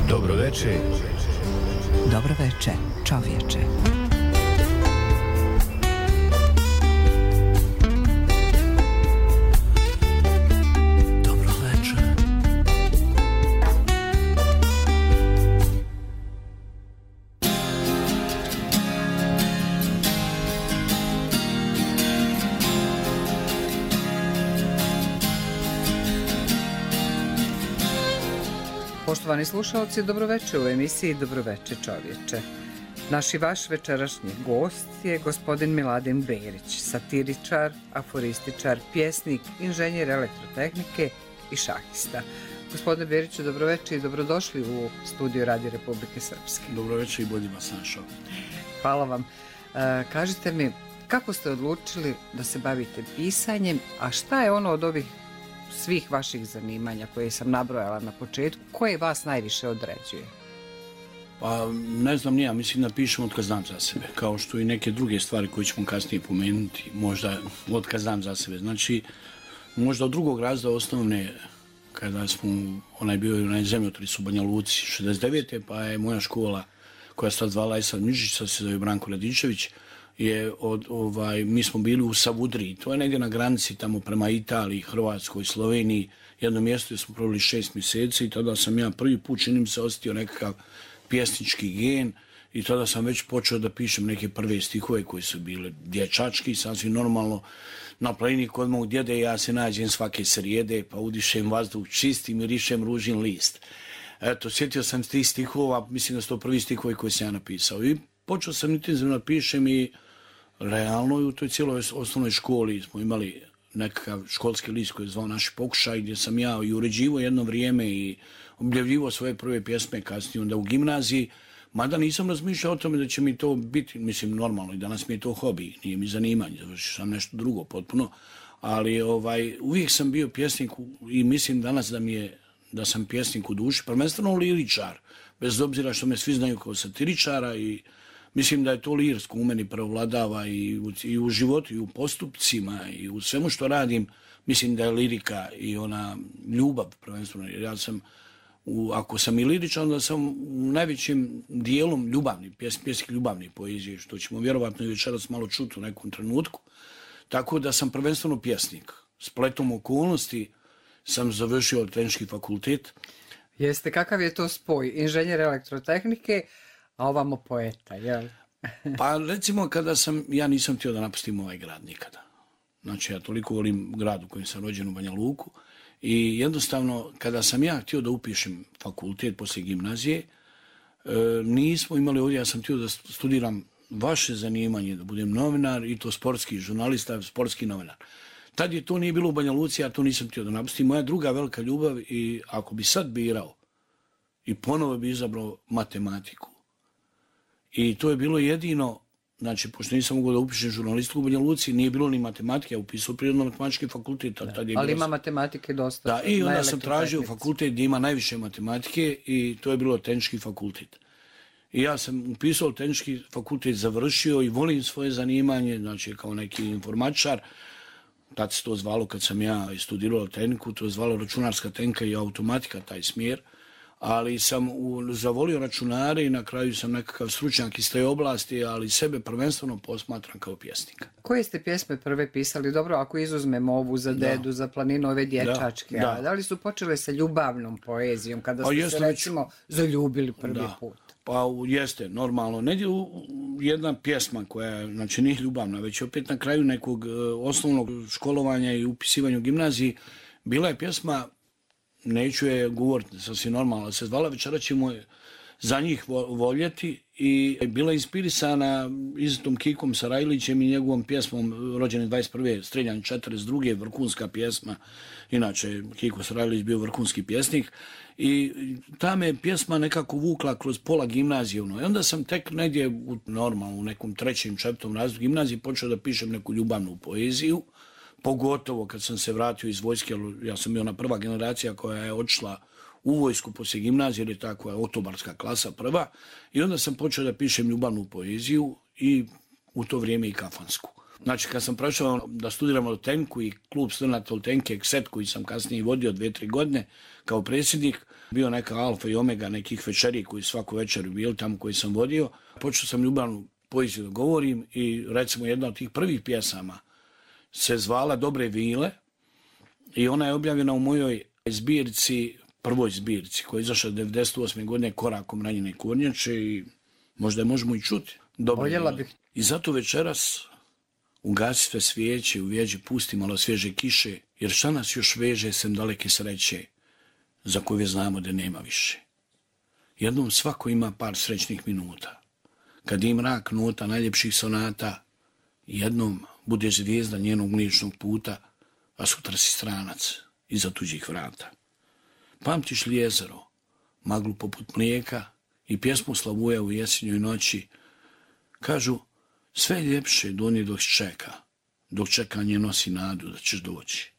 Dobro veče. Dobro veče, čovječe. Dobro veče. Poštovani slušalci, dobroveče u emisiji Dobroveče čovječe. Naš i vaš večerašnji gost je gospodin Miladin Berić, satiričar, aforističar, pjesnik, inženjer elektrotehnike i šahista. Gospodine Beriću, dobroveče i dobrodošli u studiju Radio Republike Srpske. Dobroveče i bolje vas našao. Hvala vam. Kažite mi, kako ste odlučili da se bavite pisanjem, a šta je ono od ovih svih vaših zanimanja koje sam nabrojala na početku, koje vas najviše određuje? Pa ne znam, ja mislim da pišem od kad znam za sebe, kao što i neke druge stvari koje ćemo kasnije pomenuti, možda od kad znam za sebe. Znači, možda od drugog razreda osnovne, kada smo, bio onaj zemljotris u Banja Luci 69. pa je moja škola, koja se tad zvala Esad Mižić, sad se zove Branko Radičević, mi smo bili u Savudriji, to je negdje na granici tamo prema Italiji, Hrvatskoj, Sloveniji, jedno mjesto gdje smo proveli 6 mjeseci i tada sam ja prvi put, čini mi se, osjetio nekakav pjesnički gen i tada sam već počeo da pišem neke prve stihove koji su bile dječački, sasvim normalno. Na planini kod mog djede ja se nađem svake srijede, pa udišem vazduh čisti, mirišem ružin list. Eto, sjetio sam tih stihova, mislim da su to prvi stihovi koji sam ja napisao i počeo sam intenzivno pišem i realno u toj cijeloj osnovnoj školi smo imali nekakav školski list koji je zvao Naši pokušaj, gdje sam ja i uređivao jedno vrijeme i objavljivao svoje prve pjesme, kasnije onda u gimnaziji, mada nisam razmišljao o tome da će mi to biti, mislim, normalno i danas mi je to hobi, nije mi zanimanje, završio sam nešto drugo potpuno, ali uvijek sam bio pjesnik i mislim danas da sam pjesnik u duši, prvenstveno liričar, bez obzira što me svi znaju kao satiričara i mislim da je to lirsko u meni prevladava i u životu, i u postupcima, i u svemu što radim. Mislim da je lirika i ona ljubav prvenstveno. Jer ja sam, ako sam i liričan, onda sam u najvećem dijelom ljubavni, pjesnik ljubavni poezije, što ćemo vjerovatno i večeras malo čuti u nekom trenutku. Tako da sam prvenstveno pjesnik. Spletom okolnosti sam završio Tehnički fakultet. Jeste, kakav je to spoj? Inženjer elektrotehnike, a ovamo poeta, jel? Pa recimo ja nisam htio da napustim ovaj grad nikada. Znači ja toliko volim grad u kojem sam rođen u Banja Luku i jednostavno kada sam ja htio da upišem fakultet poslije gimnazije, nismo imali ovdje, ja sam htio da studiram vaše zanimanje, da budem novinar i to sportski žurnalista, sportski novinar. Tad je to nije bilo u Banja Luci, ja to nisam htio da napustim. Moja druga velika ljubav i ako bi sad birao i ponovo bi izabrao matematiku. I to je bilo jedino, znači, pošto nisam mogao da upišem žurnalistiku u Banja Luci, nije bilo ni matematike, ja upisao prirodno-matematički fakultet. Ali ima matematike dosta. Da, i onda sam tražio fakultet gdje ima najviše matematike i to je bilo Tehnički fakultet. I ja sam upisao Tehnički fakultet, završio i volim svoje zanimanje, znači kao neki informatičar. Tad se to zvalo, kad sam ja studirao tehniku, to je zvalo računarska tehnika i automatika, taj smjer. Ali sam zavolio računare i na kraju sam nekakav stručnjak iz te oblasti, ali sebe prvenstveno posmatram kao pjesnika. Koje ste pjesme prve pisali? Dobro, ako izuzmemo ovu za dedu, za planinu, ove dječačke, da li su počele sa ljubavnom poezijom, kada ste se recimo zaljubili prvi put? Pa jeste, normalno. Negdje jedna pjesma koja, znači nije ljubavna, već opet na kraju nekog osnovnog školovanja i upisivanja u gimnaziji, bila je pjesma, neću je govoriti, sasvim normalno, se zvala Večeras ćemo za njih voljeti i bila je inspirisana Izetom Kikom Sarajlićem i njegovom pjesmom rođene 21. Streljan 42. vrhunska pjesma. Inače, Kiko Sarajlić bio vrhunski pjesnik i ta me pjesma nekako vukla kroz pola gimnazije. I onda sam tek negdje u nekom 3., 4. razredu gimnazije počeo da pišem neku ljubavnu poeziju. Pogotovo kad sam se vratio iz vojske, ja sam bio ona prva generacija koja je otišla u vojsku poslije gimnazije, jer je tako otobarska klasa prva. I onda sam počeo da pišem ljubavnu poeziju i u to vrijeme i kafansku. Znači, kad sam prošao da studiram u Tenku i klub studenata u Tenke, Ekset, koji sam kasnije vodio 2-3 godine kao predsjednik, bio neka alfa i omega nekih večeri koji svaku večer bili tamo koji sam vodio. Počeo sam ljubavnu poeziju da govorim i recimo jedna od tih prvih pjesama se zvala Dobre vile i ona je objavljena u mojoj zbirci, prvoj zbirci koja je izašla 98. godine Korakom ranjene kornjače i možda je možemo i čuti. Voljela bih. I zato večeras ugasi sve svijeće, u vjeđi pusti malo svježe kiše, jer šta nas još veže sem daleke sreće, za koje znamo da nema više. Jednom svako ima par srećnih minuta. Kad je mrak nota najljepših sonata, jednom bude zvijezda njenog mliječnog puta, a sutra si stranac iza tuđih vrata. Pamtiš li jezero, maglu poput mlijeka i pjesmu Slavuja u jesenjoj noći? Kažu, sve je ljepše doni dok čekanje nosi nadu da ćeš doći.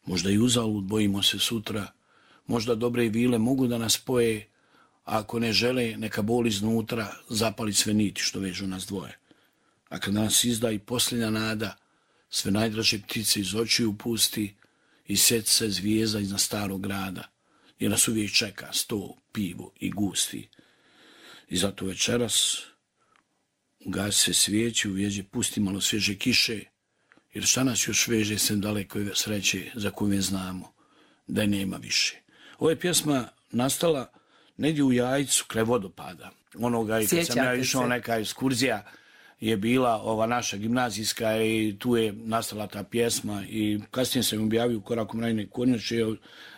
Možda i uzalud bojimo se sutra, možda dobre vile mogu da nas spoje, a ako ne žele, neka bol iznutra zapali sve niti što vežu nas dvoje. A kad nas izda i posljednja nada, sve najdraže ptice iz očiju pusti i sjeti se zvijezda iznad starog grada, jer nas uvijek čeka sto, pivo i gusti. I zato večeras ugasi se svijeći, u vjeđi pusti malo svježe kiše, jer šta nas još veže sem daleko sreće za koju znamo da je nema više. Ova je pjesma nastala negdje u Jajcu, kraj vodopada. Onoga i kad sam ja išao, neka ekskurzija je bila ova naša gimnazijska i tu je nastala ta pjesma i kasnije sam objavio Korakom ranjene kornjače.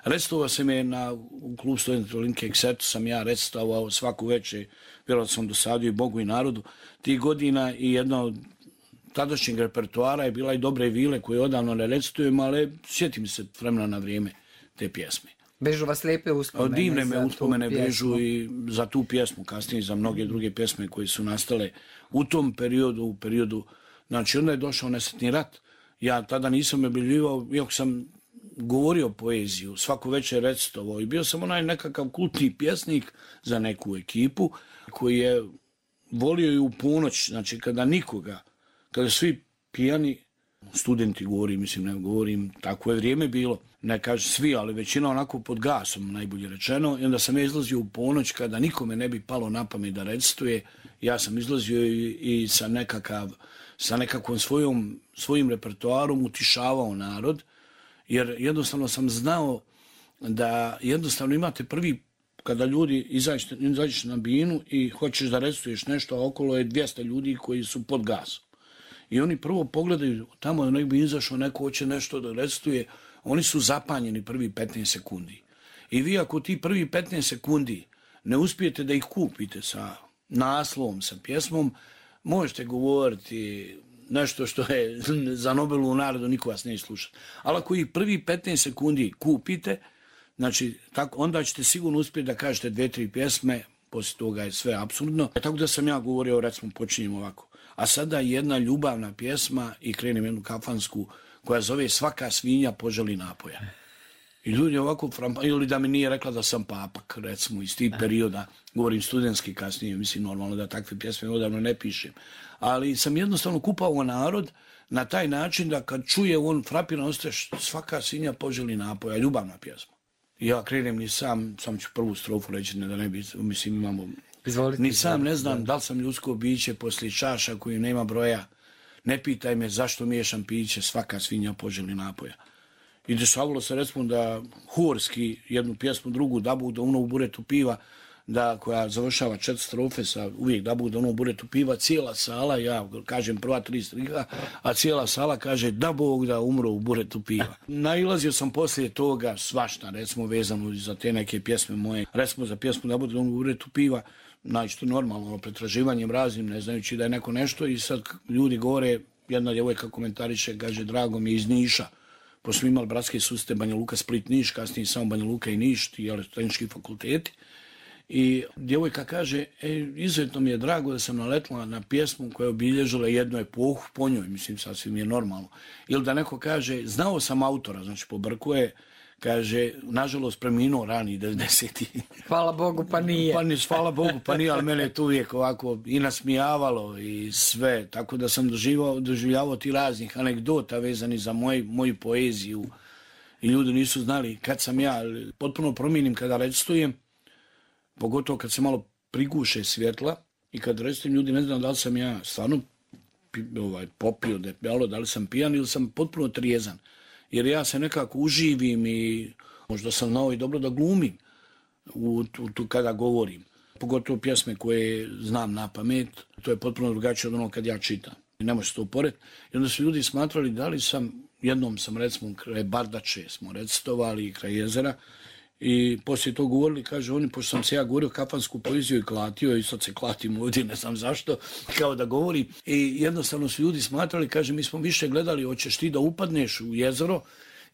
Recitovao sam je u klubu studenta Linke Eksetu, sam ja recitovao svaku večer, vjerojatno sam dosadio i Bogu i narodu tih godina i jedna od tadašnjeg repertoara je bila i Dobre vile koje odavno ne recitujem, ali sjetim se vremena na vrijeme te pjesme. Bežu vas lijepe uspomene. Divne me uspomene bežu i za tu pjesmu, kasnije za mnoge druge pjesme koje su nastale u tom periodu, u periodu, znači onda je došao nesretni rat. Ja tada nisam objavljivao, iako sam govorio poeziju, svaku večer recitovao i bio sam onaj nekakav kultni pjesnik za neku ekipu koji je volio i u ponoć, znači kada svi pijani, studenti govorim, mislim ne govorim, tako je vrijeme bilo, ne kažem svi, ali većina onako pod gasom, najbolje rečeno, i onda sam ja izlazio u ponoć kada nikome ne bi palo na pamet da recituje, ja sam izlazio i sa nekakvom svojim repertoarom utišavao narod, jer jednostavno sam znao da jednostavno imate prvi, kada ljudi izađeš na binu i hoćeš da recituješ nešto, a okolo je 200 ljudi koji su pod gasom. I oni prvo pogledaju, tamo nek bi izašao, neko hoće nešto da recituje, oni su zapanjeni prvi 15 sekundi. I vi ako ti prvi 15 sekundi ne uspijete da ih kupite sa naslovom, sa pjesmom, možete govoriti nešto što je za Nobelovu nagradu, niko vas neće slušati. Ali ako ih prvi 15 sekundi kupite, znači, onda ćete sigurno uspjeti da kažete 2-3 pjesme, poslije toga je sve apsurdno. Tako da sam ja govorio, recimo, počinjem ovako. A sada jedna ljubavna pjesma i krenem jednu kafansku koja zove Svaka svinja poželi napoja. I ljudi ovako, ili da mi nije rekla da sam papak, recimo, iz tih perioda, govorim studentski kasnije, mislim normalno da takve pjesme odavno ne pišem. Ali sam jednostavno kupao narod na taj način da kad čuje on frapiran ostaje Svaka svinja poželi napoja, ljubavna pjesma. I ja krenem ni sam ću prvu strofu reći, da ne bi, mislim imamo... Izvolite, ni sam ne znam da li sam ljudsko biće poslije čaša koju nema broja. Ne pitaj me zašto miješam piće, svaka svinja poželi napoja. I dešavalo se recimo da horski jednu pjesmu, drugu, da Bog da ono u buretu piva, koja završava 4 strofe sa uvijek da Bog da ono u buretu piva, cijela sala, ja kažem prva 3 striha, a cijela sala kaže da Bog da umro u buretu piva. Nailazio sam poslije toga svašta, recimo vezano za te neke pjesme moje, recimo za pjesmu da Bog da ono u buretu piva, znači to normalno, pretraživanjem raznim, ne znajući da je neko nešto i sad ljudi govore, jedna djevojka komentariše, kaže drago mi je iz Niša, pošto smo imali bratske susrete Banja Luka, Split, Niš, kasnije samo Banja Luka i Niš, ti tehnički fakulteti. I djevojka kaže, izuzetno mi je drago da sam naletila na pjesmu koja je obilježila jednu epohu po njoj, mislim sasvim je normalno. Ili da neko kaže, znao sam autora, znači pobrkuje, kaže, nažalost preminuo rani 90. Hvala Bogu, pa nije. Hvala Bogu, pa nije, ali mene je to uvijek ovako i nasmijavalo i sve, tako da sam doživljavao ti raznih anegdota vezani za moju poeziju i ljudi nisu znali kad sam ja, potpuno promijenim kada recitujem, pogotovo kad se malo priguše svjetla i kad recitujem ljudi ne znam da li sam ja stvarno popio debelo, da li sam pijan ili sam potpuno trijezan. Jer ja se nekako uživim i možda sam znao i dobro da glumim kada govorim. Pogotovo pjesme koje znam na pamet, to je potpuno drugačije od ono kad ja čitam. Ne može se to uporediti. I onda su ljudi smatrali da li jednom sam recimo kraj Bardače smo recitovali kraj jezera i poslije to govorili, kaže oni, pošto sam se ja govorio kafansku poeziju i klatio i sad se klatim ovdje, ne znam zašto, kao da govorim. I jednostavno su ljudi smatrali, kaže, mi smo više gledali, hoćeš ti da upadneš u jezero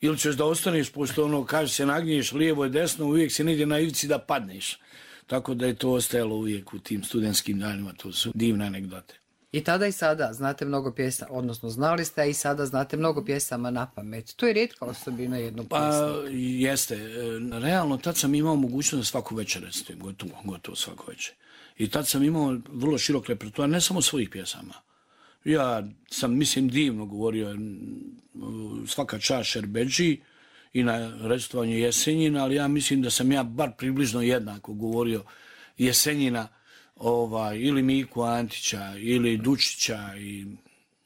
ili ćeš da ostaneš, pošto ono, kaže, se nagnješ lijevo i desno, uvijek se negdje na ivici da padneš. Tako da je to ostajalo uvijek u tim studentskim danima, to su divne anegdote. I tada i sada znate mnogo pjesama, odnosno znali ste, a i sada znate mnogo pjesama na pamet. To je rijetka osobina jednog pjesnika. Pa jeste. Realno, tad sam imao mogućnost da svaku večer recitujem, gotovo svaku večer. I tad sam imao vrlo širok repertoar, ne samo svojih pjesama. Ja sam, mislim, divno govorio svaka čast Šerbedži i na recitovanju Jesenjina, ali ja mislim da sam ja bar približno jednako govorio Jesenjina, ili Miku Antića, ili Dučića, i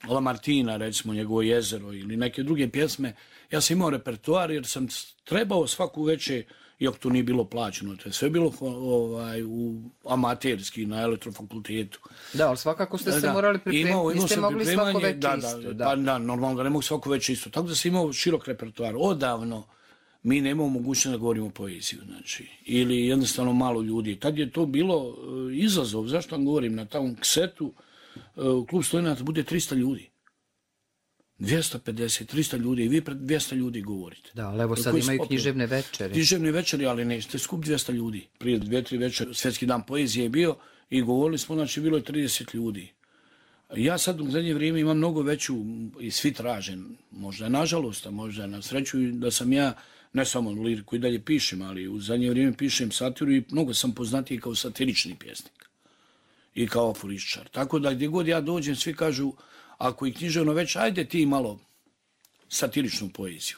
Lamartina, recimo, njegovo jezero, ili neke druge pjesme. Ja sam imao repertoar jer sam trebao svaku večer, iako to nije bilo plaćeno, to je sve bilo u amaterski na elektrofakultetu. Da, ali svakako ste se morali pripremiti, niste mogli svako večer isto. Da, normalno da ne mogu svako večer isto. Tako da sam imao širok repertoar. Odavno mi nemamo mogućnost da govorimo poeziju, znači, ili jednostavno malo ljudi. Tad je to bilo izazov, zašto vam govorim, na tom ksetu klub studenata bude 300 ljudi. 250, 300 ljudi i vi pred 200 ljudi govorite. Da, ali evo sad imaju književne večeri. Književne večeri, ali nećete skup 200 ljudi. Prije 2-3 večeri Svjetski dan poezije je bio i govorili smo, znači bilo je 30 ljudi. Ja sad u zadnje vrijeme imam mnogo veću i svi tražen, možda nažalost, a možda na sreću da sam ja, ne samo liriku i dalje pišem, ali u zadnje vrijeme pišem satiru i mnogo sam poznatiji kao satirični pjesnik i kao aforističar. Tako da gdje god ja dođem, svi kažu, ako je književno već, ajde ti malo satiričnu poeziju.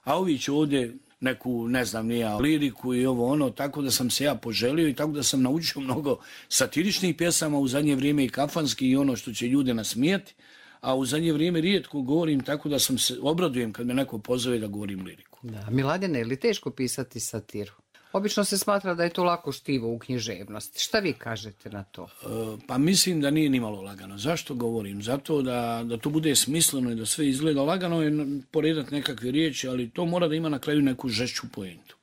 A ovi će ovdje neku, ne znam, nija liriku i ovo ono, tako da sam se ja poželio i tako da sam naučio mnogo satiričnih pjesama, u zadnje vrijeme i kafanski i ono što će ljude nasmijeti, a u zadnje vrijeme rijetko govorim, tako da sam se obradujem kad me neko pozove da govorim liriku. Da, Miladine, je li teško pisati satiru? Obično se smatra da je to lako štivo u književnosti. Šta vi kažete na to? Pa mislim da nije nimalo lagano. Zašto govorim? Zato da to bude smisleno i da sve izgleda lagano je poredati nekakve riječi, ali to mora da ima na kraju neku žešću poentu.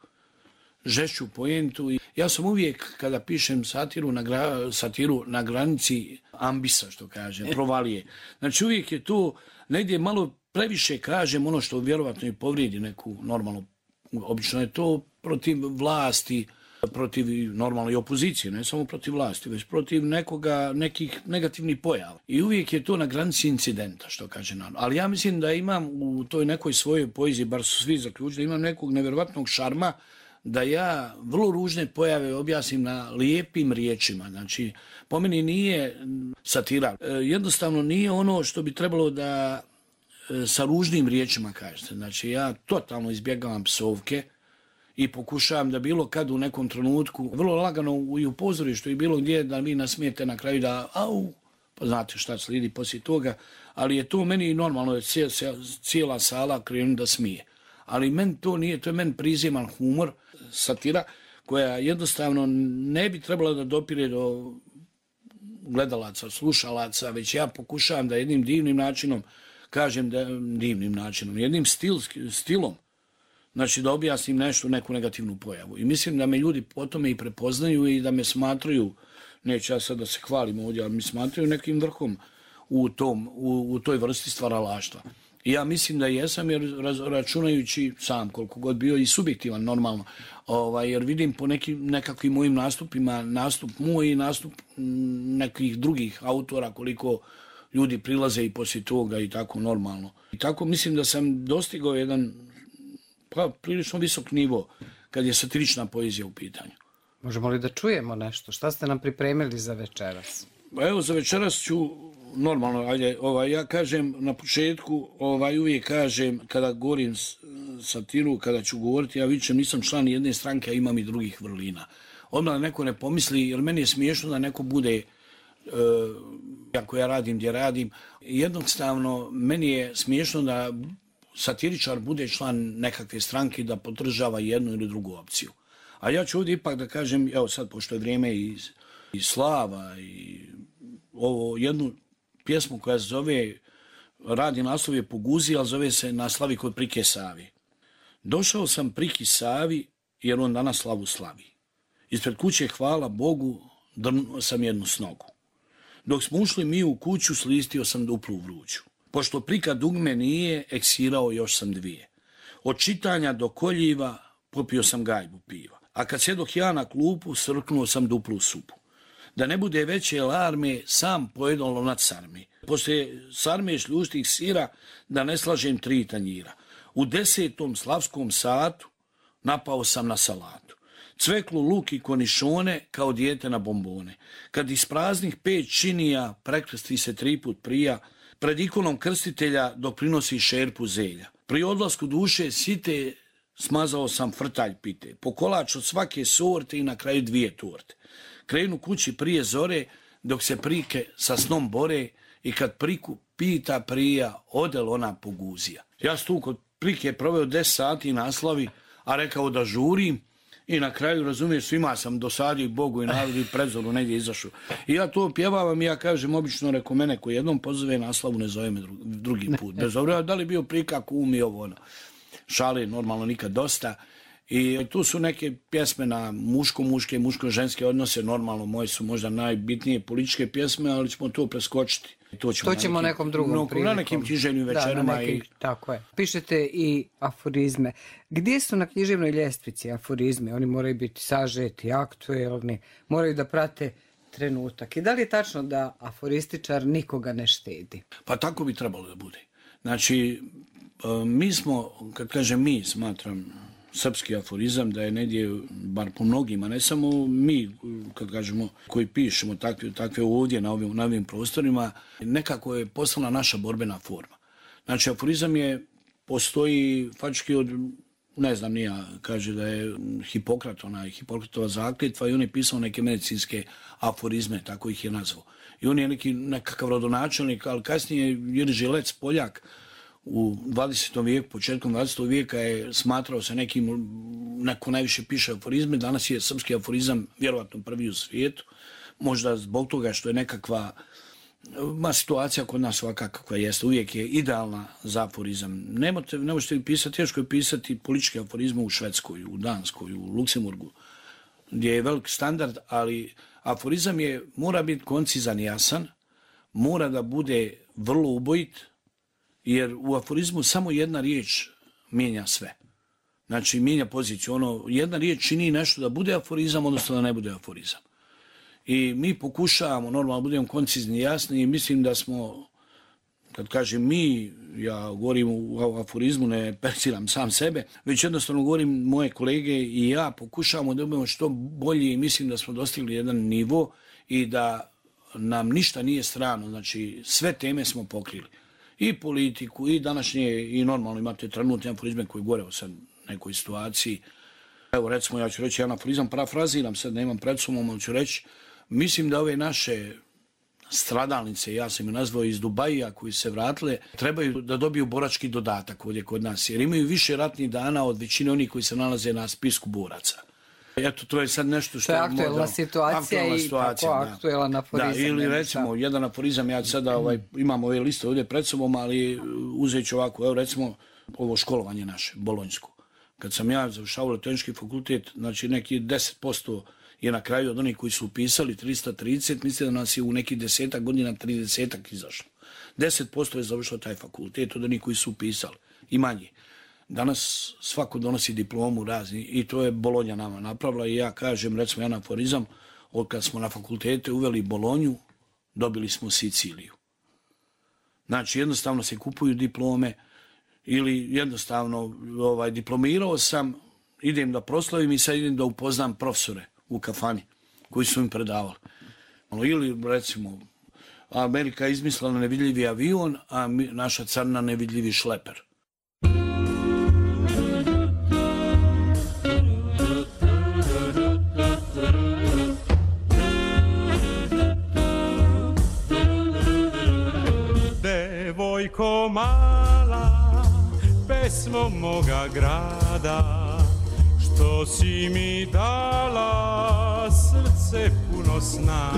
Žešću poentu. Ja sam uvijek, kada pišem satiru na granici ambisa, što kaže, provalije. Znači uvijek je to negdje malo previše kažem ono što vjerovatno i povrijedi neku normalnu. Obično je to protiv vlasti, protiv normalno i opozicije, ne samo protiv vlasti, već protiv nekih negativnih pojava. I uvijek je to na granici incidenta, što kaže narod. Ali ja mislim da imam u toj nekoj svojoj poeziji, bar su svi zaključili, da imam nekog nevjerovatnog šarma, da ja vrlo ružne pojave objasnim na lijepim riječima. Znači, po meni nije satira. Jednostavno nije ono što bi trebalo da sa ružnim riječima kažete. Znači, ja totalno izbjegavam psovke i pokušavam da bilo kad u nekom trenutku, vrlo lagano i u pozorištu i bilo gdje, da vi nasmijete na kraju da au, pa znate šta slijedi poslije toga, ali je to meni normalno, je cijela sala krenu da smije. Ali meni to nije, to je meni priziman humor, satira, koja jednostavno ne bi trebala da dopire do gledalaca, slušalaca, već ja pokušavam da jednim divnim načinom kažem jednim stilom, znači da objasnim nešto, neku negativnu pojavu. I mislim da me ljudi po tome i prepoznaju i da me smatraju, neću ja sad da se hvalim ovdje, ali mi smatraju nekim vrhom u toj vrsti stvaralaštva. I ja mislim da jesam, jer računajući sam koliko god bio i subjektivan normalno, jer vidim po nekakvim mojim nastupima, nastup moj i nastup nekih drugih autora, koliko ljudi prilaze i poslije toga i tako normalno. I tako mislim da sam dostigao jedan Pa prilično visok nivo kad je satirična poezija u pitanju. Možemo li da čujemo nešto? Šta ste nam pripremili za večeras? Evo, za večeras ću normalno, ajde, ja kažem na početku, uvijek kažem kada govorim satiru, kada ću govoriti, ja više nisam član jedne stranke, a imam i drugih vrlina. Odmah da neko ne pomisli, jer meni je smiješno da neko bude, ako ja radim gdje radim, jednostavno meni je smiješno da satiričar bude član nekakve stranke da podržava jednu ili drugu opciju. A ja ću ovdje ipak da kažem, evo sad, pošto je vrijeme i slava i ovo jednu pjesmu koja se zove, radi naslov je Poguzi, ali zove se Na slavi kod prike Savi. Došao sam priki Savi jer on danas slavu slavi. Ispred kuće, hvala Bogu, drnuo sam jednu snogu. Dok smo ušli mi u kuću, slistio sam duplu vruću. Pošto prika dugme nije, eksirao još sam dvije. Od čitanja do koljiva popio sam gajbu piva. A kad sjedoh ja na klupu, srknuo sam duplu supu. Da ne bude veće alarme, sam pojedom lonac sarmi. Poslije sarme šljustih sira, da ne slažem 3 tanjira. U 10. slavskom satu napao sam na salatu. Cveklu, luk i konišone kao dijete na bombone. Kad iz praznih 5 činija prekrsti se 3 put prija, pred ikonom krstitelja dok prinosi šerpu zelja. Pri odlasku duše site smazao sam frtalj pite, po kolač od svake sorte i na kraju 2 torte. Krenu kući prije zore, dok se prike sa snom bore i kad priku pita prija, odel ona poguzija. Ja sam tu kod prike proveo 10 sati naslavi, a rekao da žurim i na kraju, razumiješ, svima sam dosadio Bogu i narodu i predzoru negdje izašao. I ja to pjevavam i ja kažem, obično reko mene ko jednom pozove naslavu, ne zove me drugi put. Bez obzira da li bio prika, kum i ovo ono. Šale normalno nikad dosta. I tu su neke pjesme na muško-muške, muško-ženske odnose, normalno moje su možda najbitnije političke pjesme, ali ćemo to preskočiti. To ćemo nekom drugom prilikom. Na nekim književnim večerama. Tako je. Pišete i aforizme. Gdje su na književnoj ljestvici aforizmi? Oni moraju biti sažeti, aktuelni, moraju da prate trenutak. I da li je tačno da aforističar nikoga ne štedi? Pa tako bi trebalo da bude. Znači, mi smo, kad kažem mi, smatram srpski aforizam da je negdje, bar po mnogima, ne samo mi, kad kažemo, koji pišemo takve ovdje na ovim prostorima, nekako je postala naša borbena forma. Znači, aforizam postoji faktički od, ne znam, nija, kaže da je Hipokratova zakletva i on je pisao neke medicinske aforizme, tako ih je nazvao. I on je nekakav rodonačelnik, ali kasnije Jerži Lec, Poljak, u 20. vijeku, početkom 20. vijeka je smatrao se neko najviše piše aforizme, danas je srpski aforizam vjerovatno prvi u svijetu, možda zbog toga što je nekakva situacija kod nas ovakva kakva jeste, uvijek je idealna za aforizam. Ne možete pisati, teško je pisati političke aforizme u Švedskoj, u Danskoj, u Luksemburgu, gdje je velik standard, ali aforizam mora biti koncizan i jasan, mora da bude vrlo ubojit, jer u aforizmu samo jedna riječ mijenja sve. Znači, mijenja poziciju. Jedna riječ čini nešto da bude aforizam, odnosno da ne bude aforizam. I mi pokušavamo, normalno, budemo koncizni i jasni i mislim da smo, kad kažem mi, ja govorim u aforizmu, ne perciram sam sebe, već jednostavno govorim moje kolege i ja pokušavamo da budemo što bolje i mislim da smo dostigli jedan nivo i da nam ništa nije strano. Znači, sve teme smo pokrili. I politiku, i današnje, i normalno imate trenutne aforizme koji gore o sad nekoj situaciji. Evo, recimo, ja ću reći jedan aforizam, parafraziram, sad nemam pred sobom, ali ću reći, mislim da ove naše stradalnice, ja sam ih nazvao iz Dubaija, koji se vratile, trebaju da dobiju borački dodatak ovdje kod nas, jer imaju više ratnih dana od većine onih koji se nalaze na spisku boraca. Eto, to je sad nešto što je aktuelna situacija i tako aktuelan aforizam. Da, ili recimo, jedan aforizam, ja sada imam ove liste ovdje pred sobom, ali uzet ću ovako, evo recimo, ovo školovanje naše, bolonjsko. Kad sam ja završavao Elektronički fakultet, znači neki 10% je na kraju od onih koji su upisali 330, mislim da nas je u nekih 10 godina 30 izašlo. 10% je završilo taj fakultet od onih koji su upisali i manje. Danas svako donosi diplomu razni i to je Bolonja nama napravila i ja kažem, recimo jedan aforizam, od kad smo na fakultete uveli Bolonju, dobili smo Siciliju. Znači jednostavno se kupuju diplome ili jednostavno diplomirao sam, idem da proslavim i sad idem da upoznam profesore u kafani koji su im predavali. Ili recimo Amerika je izmislila nevidljivi avion, a naša carina nevidljivi šleper. Devojko mala, pesmo moga grada, što si mi dala srce puno sna.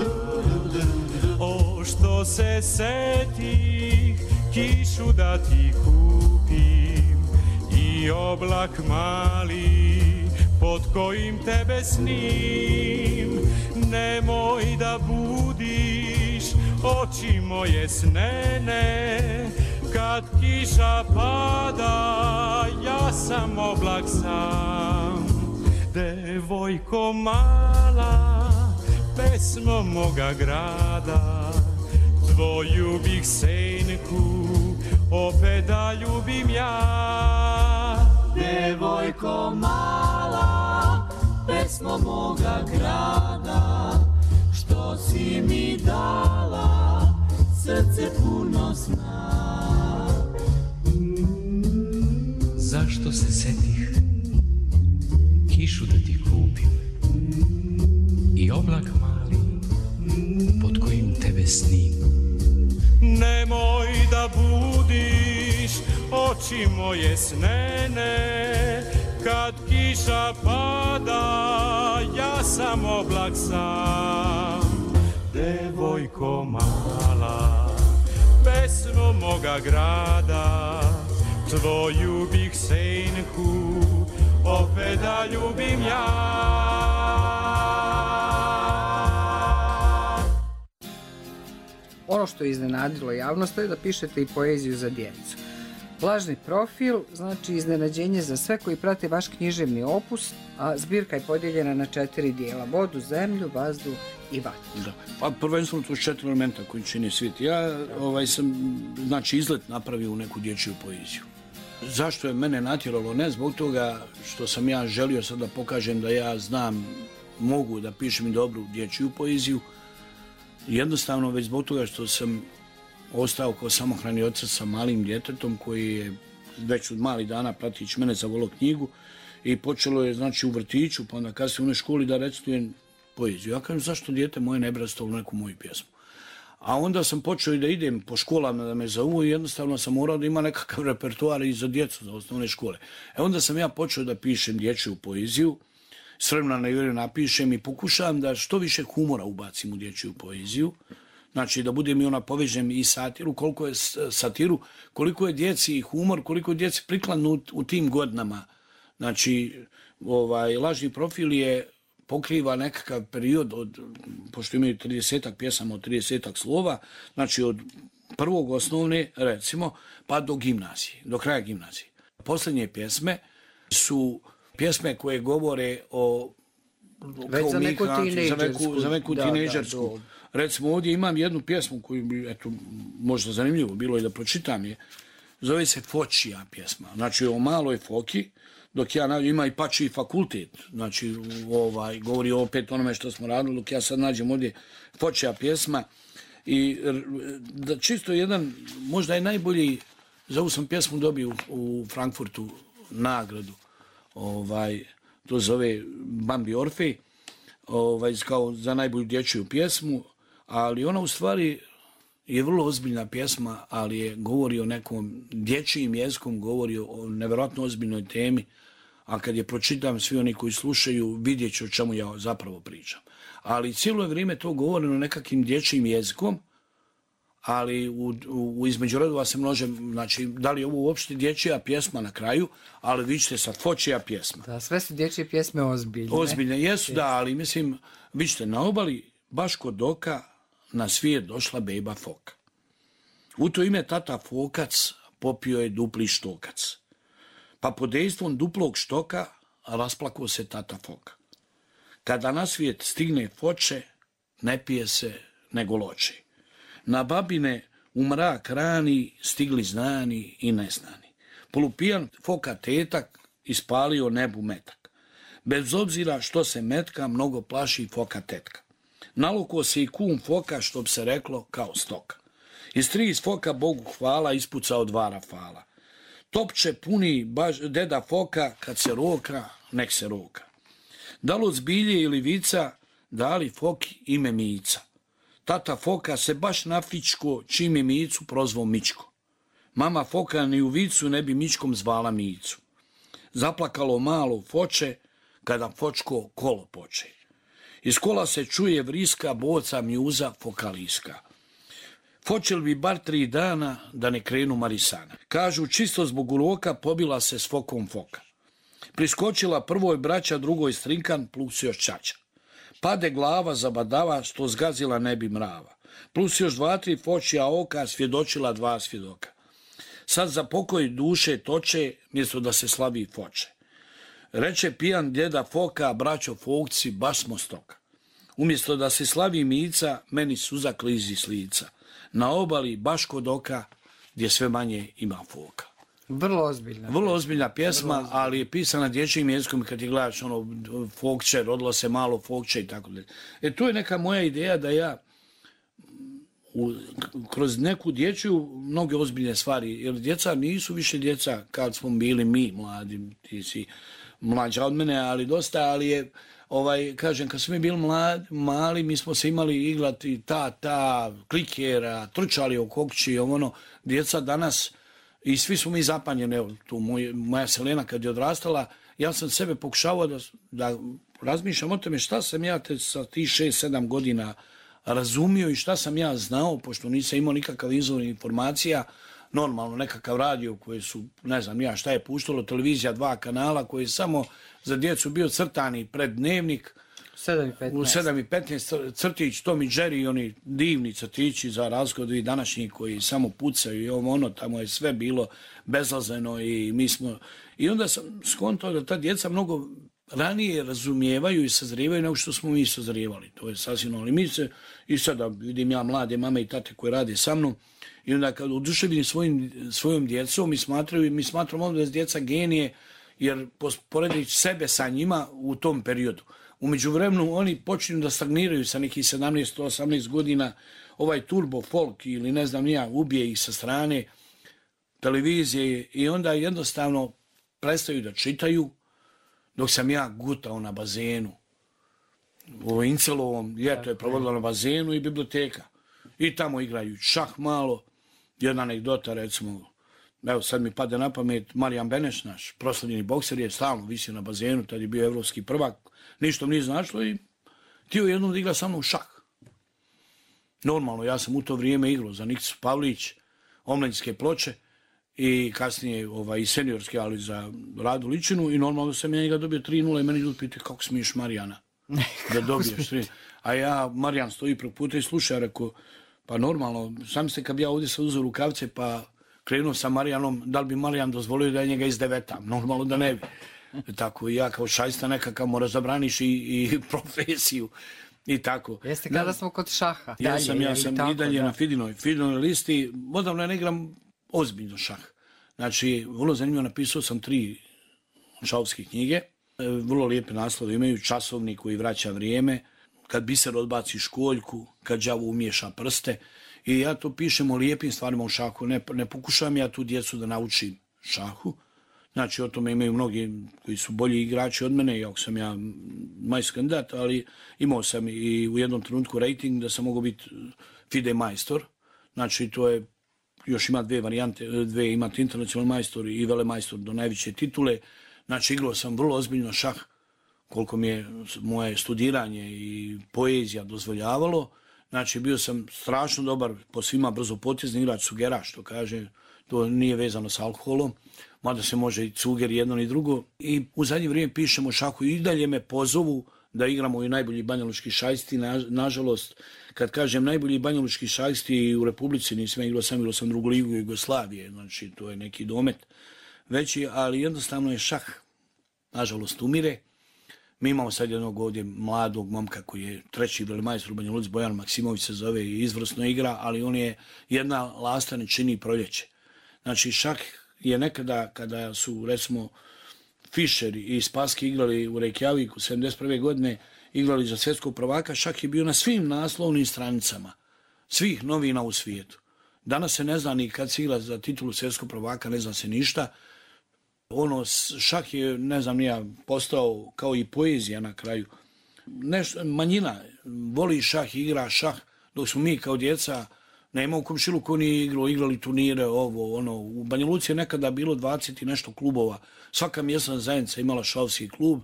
O, što se setih kišu da ti kupim i oblak mali pod kojim tebe snim. Nemoj da budiš oči moje snene, kad kiša pada, ja sam oblak sam. Devojko mala, pesmo moga grada, tvoju bih senku opet da ljubim ja. Devojko mala, pesmo moga grada, što si mi dala srce puno sna. Zašto se setih kišu da ti kupim i oblak mali pod kojim tebe snim. Nemoj da budiš oči moje snene, kad kiša pada, ja sam oblak sam. Devojko mala, pesmo moga grada, tvoju bih senku opet da ljubim ja. Ono što je iznenadilo javnost je da pišete i poeziju za djecu. Lažni profil znači iznenađenje za sve koji prate vaš književni opus, a zbirka je podijeljena na 4 dijela: vodu, zemlju, vazduh i vatru. Da. Pa prvenstveno to 4 elementa koji čini svijet. Ja sam izlet napravio u neku dječju poeziju. Zašto je mene natjeralo? Ne zbog toga što sam ja želio sad da pokažem da ja znam, mogu da pišem i dobru dječju poeziju. Jednostavno već zbog toga što sam ostao kao samohrani otac sa malim djetetom koji je već od malih dana pratići mene zavolio knjigu i počelo je u vrtiću, pa onda kasnije u onoj školi da recitujem poeziju. Ja kažem, zašto dijete moje ne brastalo neku moju pjesmu? A onda sam počeo i da idem po školama da me zovu i jednostavno sam morao da ima nekakav repertoar i za djecu, za osnovne škole. Onda sam ja počeo da pišem dječju poeziju, s vremena na vrijeme napišem i pokušavam da što više humora ubacim u dječju poeziju. Znači da budem i ona povežem i satiru, koliko je satiru, koliko je djeci i humor, koliko je djeci prikladno u tim godinama. Znači, lažni profil pokriva nekakav period pošto imaju 30-ak pjesama od 30-ak slova, znači od prvog osnovne, recimo, pa do gimnazije, do kraja gimnazije. Posljednje pjesme su pjesme koje govore o za neku tinejdžersku. Recimo ovdje imam jednu pjesmu koju bi, možda zanimljivo bilo i da pročitam je. Zove se Fočija pjesma. Znači o maloj foki, dok ja ima i Pačiji fakultet. Znači govori opet onome što smo radili, dok ja sad nađem ovdje Fočija pjesma. I čisto jedan, možda je najbolji, za ovu sam pjesmu dobio u Frankfurtu nagradu. To zove Bambi Orfej, kao za najbolju dječju pjesmu, ali ona u stvari je vrlo ozbiljna pjesma, ali govori o nekom dječjim jezikom, govori o nevjerojatno ozbiljnoj temi, a kad je pročitam, svi oni koji slušaju vidjet će o čemu ja zapravo pričam. Ali cijelo je vrijeme to govoreno nekakvim dječjim jezikom, ali između redova se množe, znači da li je ovo uopšte dječja pjesma na kraju, ali vi ćete sad Fočija pjesma. Da, sve su dječje pjesme ozbiljne. Ozbiljne jesu, da, ali mislim, vi ćete na obali, baš kod oka, na svijet došla bejba foka. U to ime tata fokac popio je dupli štokac. Pa pod dejstvom duplog štoka rasplakao se tata foka. Kada na svijet stigne foče, ne pije se nego loče. Na babine u mrak rani stigli znani i neznani. Polupijan foka tetak ispalio nebu metak. Bez obzira što se metka, mnogo plaši foka tetka. Nalukao se i kum foka, što bi se reklo, kao stoka. Iz 3 foka Bogu hvala ispucao 2 rafala. Topče puni deda foka, kad se roka, nek se roka. Da li od zbilje ili vica, dali foki ime Mica. Tata foka se baš nafičko, čim je Micu prozvao Mičko. Mama foka ni u vicu ne bi Mičkom zvala Micu. Zaplakalo malo foče, kada fočko kolo poče. Iz kola se čuje vriska, boca mjuza fokaliska. Fočel bi bar 3 dana da ne krenu marisana. Kažu, čisto zbog uroka pobila se s fokom foka. Priskočila prvoj braća, drugoj strinkan, plus još čača. Pade glava zabadava, što zgazila ne bi mrava. Plus još 2-3 fočija oka, svjedočila 2 svjedoka. Sad za pokoj duše toče, mjesto da se slavi foče. Reče pijan djeda foka, braćo fokci, baš smo stoka. Umjesto da se slavi Mica, meni suza klizi s lica. Na obali baš kod oka, gdje sve manje ima foka. Vrlo ozbiljna pjesma, ali je pisana dječjim jezikom. Kad ti gledaš fokče, rodilo se malo fokče i tako dalje. Tu je neka moja ideja da ja kroz neku dječju mnoge ozbiljne stvari, jer djeca nisu više djeca kad smo bili mi mladi, ti si mlađa od mene, ali dosta, ali je, kažem, kad smo mi bili mali, mi smo se imali igrati klikera, trčali o kokći, djeca danas, i svi smo mi zapanjeni, evo, tu moja Selena kad je odrastala, ja sam sebe pokušavao da razmišljam o tome šta sam ja sa tih 6-7 godina razumio i šta sam ja znao, pošto nisam imao nikakav izvor informacija, normalno nekakav radio koji su, ne znam ja šta je puštalo, televizija 2 kanala koji je samo za djecu bio crtani pred dnevnik, 7:15 crtić, Tom i Jerry, oni divni crtići za razliku od današnjih koji samo pucaju i tamo je sve bilo bezlazeno i mi smo... I onda sam skontao da ta djeca mnogo ranije razumijevaju i sazrijevaju nego što smo mi sazrijevali. To je sasvim ali mi se, i sada vidim ja mlade mame i tate koje rade sa mnom, i onda kad oduševljeni svojom djecom mi smatramo da je djeca genije, jer poredeći sebe sa njima u tom periodu. U međuvremenu oni počinju da stagniraju sa nekih 17-18 godina, ovaj turbo folk ili ne znam ja, ubije ih sa strane televizije i onda jednostavno prestaju da čitaju, dok sam ja gutao na bazenu. U Incelovom ljeto je provodilo na bazenu i biblioteka. I tamo igraju šah malo. Jedna anegdota, recimo, evo sad mi pade na pamet, Marijan Beneš, naš proslavljeni bokser, je stalno visio na bazenu, tad je bio evropski prvak, ništa mi nije značilo i htio jednom da igra sa mnom šah. Normalno, ja sam u to vrijeme igrao za Nikicu Pavlić, omladinske Ploče i kasnije i seniorske, ali za Radu Ličinu i normalno sam ja njega dobio 3:0 i meni ljudi pitaju kako smiješ Marijana da dobiješ 3. A ja, Marijan stoji preko puta i sluša, rekao, pa normalno, sam ste kad bi ja ovdje sad uzeo rukavce pa krenuo sa Marijanom, da li bi Marijan dozvolio da je njega izdevetam? Normalno da ne bi. Tako i ja kao šajsta nekakav moraš zabraniš i profesiju i tako. Jeste kada smo kod šaha. Ja sam i dalje na Fidinoj listi, odavno ne igram ozbiljno šah. Znači, vrlo zanimljivo, napisao sam 3 šahovske knjige, vrlo lijepe naslove imaju, Časovnik koji vraća vrijeme, Kad biser odbaci školjku, kad đavo umiješa prste. I ja to pišem o lijepim stvarima u šahu. Ne pokušavam ja tu djecu da naučim šahu. Znači, o tome imaju mnogi koji su bolji igrači od mene, iako sam ja majstor kandidat, ali imao sam i u jednom trenutku rating da sam mogao biti FIDE majstor. Znači, to je, još ima 2 varijante, imate internacionalni majstor i velemajstor do najveće titule. Znači, igrao sam vrlo ozbiljno šah, koliko mi je moje studiranje i poezija dozvoljavalo. Znači, bio sam strašno dobar, po svima brzopotezni igrač sugera, što kaže, to nije vezano s alkoholom, mada se može i cuger jedno ni drugo. I u zadnje vrijeme pišemo šahu i dalje me pozovu da igramo i najbolji banjalučki šahisti. Nažalost, kad kažem najbolji banjalučki šahisti u Republici, nisam igrao sam drugu ligu Jugoslavije, znači to je neki domet veći, ali jednostavno je šah, nažalost, umire. Mi imamo sad jednog ovdje mladog momka koji je 3. velemajstor u Banja Luci, Bojan Maksimović se zove i izvrsno igra, ali on je jedna lasta ne čini proljeće. Znači šah je nekada, kada su, recimo, Fischer i Spassky igrali u Reykjaviku 71. godine, igrali za svjetskog prvaka, šah je bio na svim naslovnim stranicama svih novina u svijetu. Danas se ne zna ni kad se igra za titulu svjetskog prvaka, ne zna se ništa. Šah je, ne znam, nije postao kao i poezija na kraju. Manjina voli šah, igra šah, dok smo mi kao djeca, nema u komšiluku ni igrali turnire, U Banja Luci je nekada bilo 20 i nešto klubova. Svaka mjesna zajednica imala šahovski klub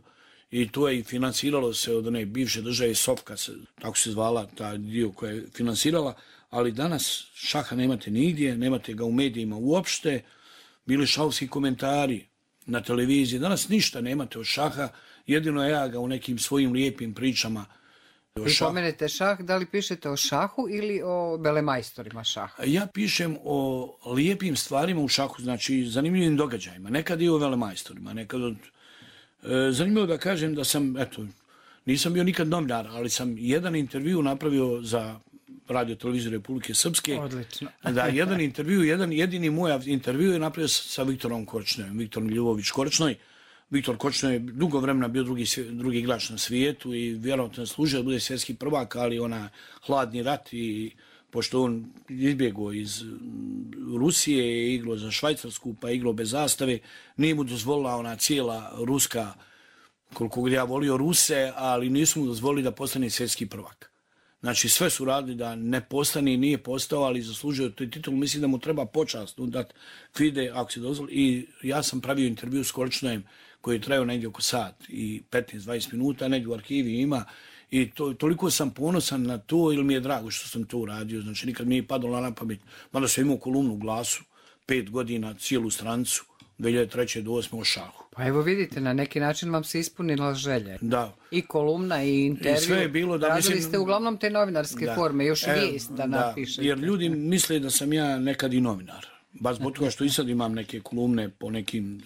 i to je i financiralo se od one bivše države Sofka, tako se zvala ta dio koja je financirala, ali danas šaha nemate nigdje, nemate ga u medijima uopšte, bili šahovski komentari na televiziji, danas ništa nemate od šaha, jedino ja ga u nekim svojim lijepim pričama. Vi pomenete šah, da li pišete o šahu ili o velemajstorima šaha? Ja pišem o lijepim stvarima u šahu, znači zanimljivim događajima, nekad i o velemajstorima, nekad zanimljivo da kažem da sam, nisam bio nikad novinar, ali sam jedan intervju napravio za Radio televiziju Republike Srpske. Odlično. Da, jedan intervju, jedini moj intervju je napravio sa Viktorom Korčnojem, Viktorom Ljubović Korčnoj. Viktor Korčnoj je dugo vremena bio drugi igrač na svijetu i vjerojatno je služio da bude svjetski prvak, ali hladni rat i pošto on izbjegao iz Rusije, igrao za Švajcarsku, pa igrao bez zastave, nije mu dozvolila ona cijela ruska, koliko ja volio Ruse, ali nisu mu dozvolili da postane svjetski prvak. Znači sve su radili da ne postane i nije postao, ali zaslužio taj titul. Mislim da mu treba počast dati FIDE, ako se dozvoli. I ja sam pravio intervju s Korčnojem koji je trajao negdje oko sat i 15-20 minuta, negdje u arhivi ima. I toliko sam ponosan na to, ili mi je drago što sam to uradio. Znači nikad mi je padalo na pamet. Mada sam imao kolumnu u Glasu, 5 godina, cijelu stranicu, 2003. do 2008. o šahu. Pa evo vidite, na neki način vam se ispunila želja. Da. I kolumna i intervju. I sve je bilo da radili ste uglavnom te novinarske forme, još vijest da napišete. Jer ljudi misle da sam ja nekad i novinar. Baš zbog toga što i sad imam neke kolumne po nekim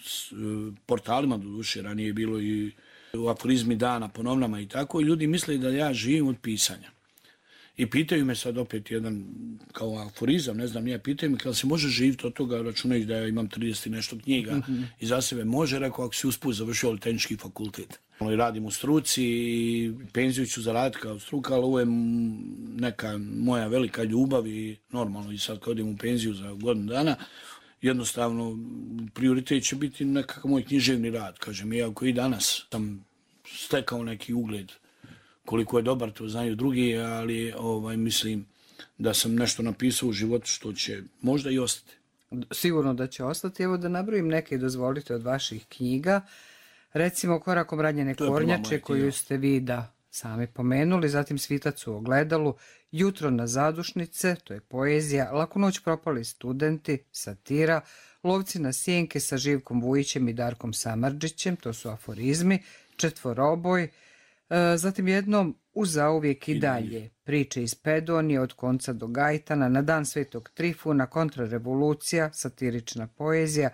portalima, doduše, ranije bilo i u aforizmi dana po novinama i tako, i ljudi misle da ja živim od pisanja. I pitaju me sad opet jedan kao aforizam, ne znam, pitaju me kada se može živjeti od toga, računajući da ja imam 30 i nešto knjiga i za sebe može, rekao, ako si usput završio tehnički fakultet. Radim u struci i penziju ću zaraditi kao struka, ali ovo je neka moja velika ljubav i normalno i sad kad odim u penziju za godinu dana, jednostavno prioritet će biti nekakav moj književni rad. Kažem, iako i danas sam stekao neki ugled, koliko je dobar, to znaju drugi, ali mislim da sam nešto napisao u životu što će možda i ostati. Sigurno da će ostati. Evo da nabrojim neke, dozvolite, od vaših knjiga. Recimo Korakom ranjene kornjače, koju ste vi sami pomenuli, zatim Svitac u ogledalu, Jutro na zadušnice, to je poezija, Laku noć propali studenti, satira, Lovci na sjenke sa Živkom Vujićem i Darkom Samardžićem, to su aforizmi, Četvoroboj, zatim jednom Uz zauvijek i dalje, priče iz Pedonije od konca do Gajtana, Na dan Svetog Trifuna, Kontrarevolucija, satirična poezija,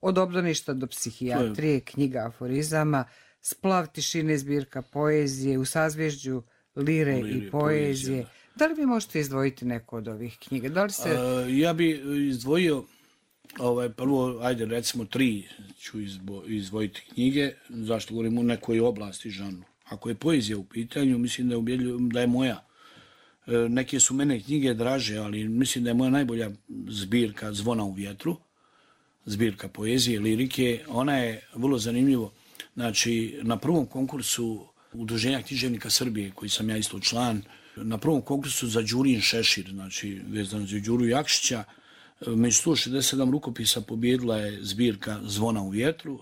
Od obdaništa do psihijatrije, knjiga aforizama, Splav tišine, zbirka poezije, U sazvježđu lire i poezije. Da li vi možete izdvojiti neku od ovih knjiga? Da li se... Ja bi izdvojio prvo, ajde recimo 3 ću izdvojiti knjige, zašto govorim u nekoj oblasti žanru. Ako je poezija u pitanju, mislim da je moja. Neke su mene knjige draže, ali mislim da je moja najbolja zbirka Zvona u vjetru, zbirka poezije, lirike. Ona je vrlo zanimljivo. Znači, na prvom konkursu Udruženja književnika Srbije, koji sam ja isto član, na prvom konkursu za Đurin Šešir, znači vezano za Đuru Jakšića, među 167 rukopisa pobjedila je zbirka Zvona u vjetru.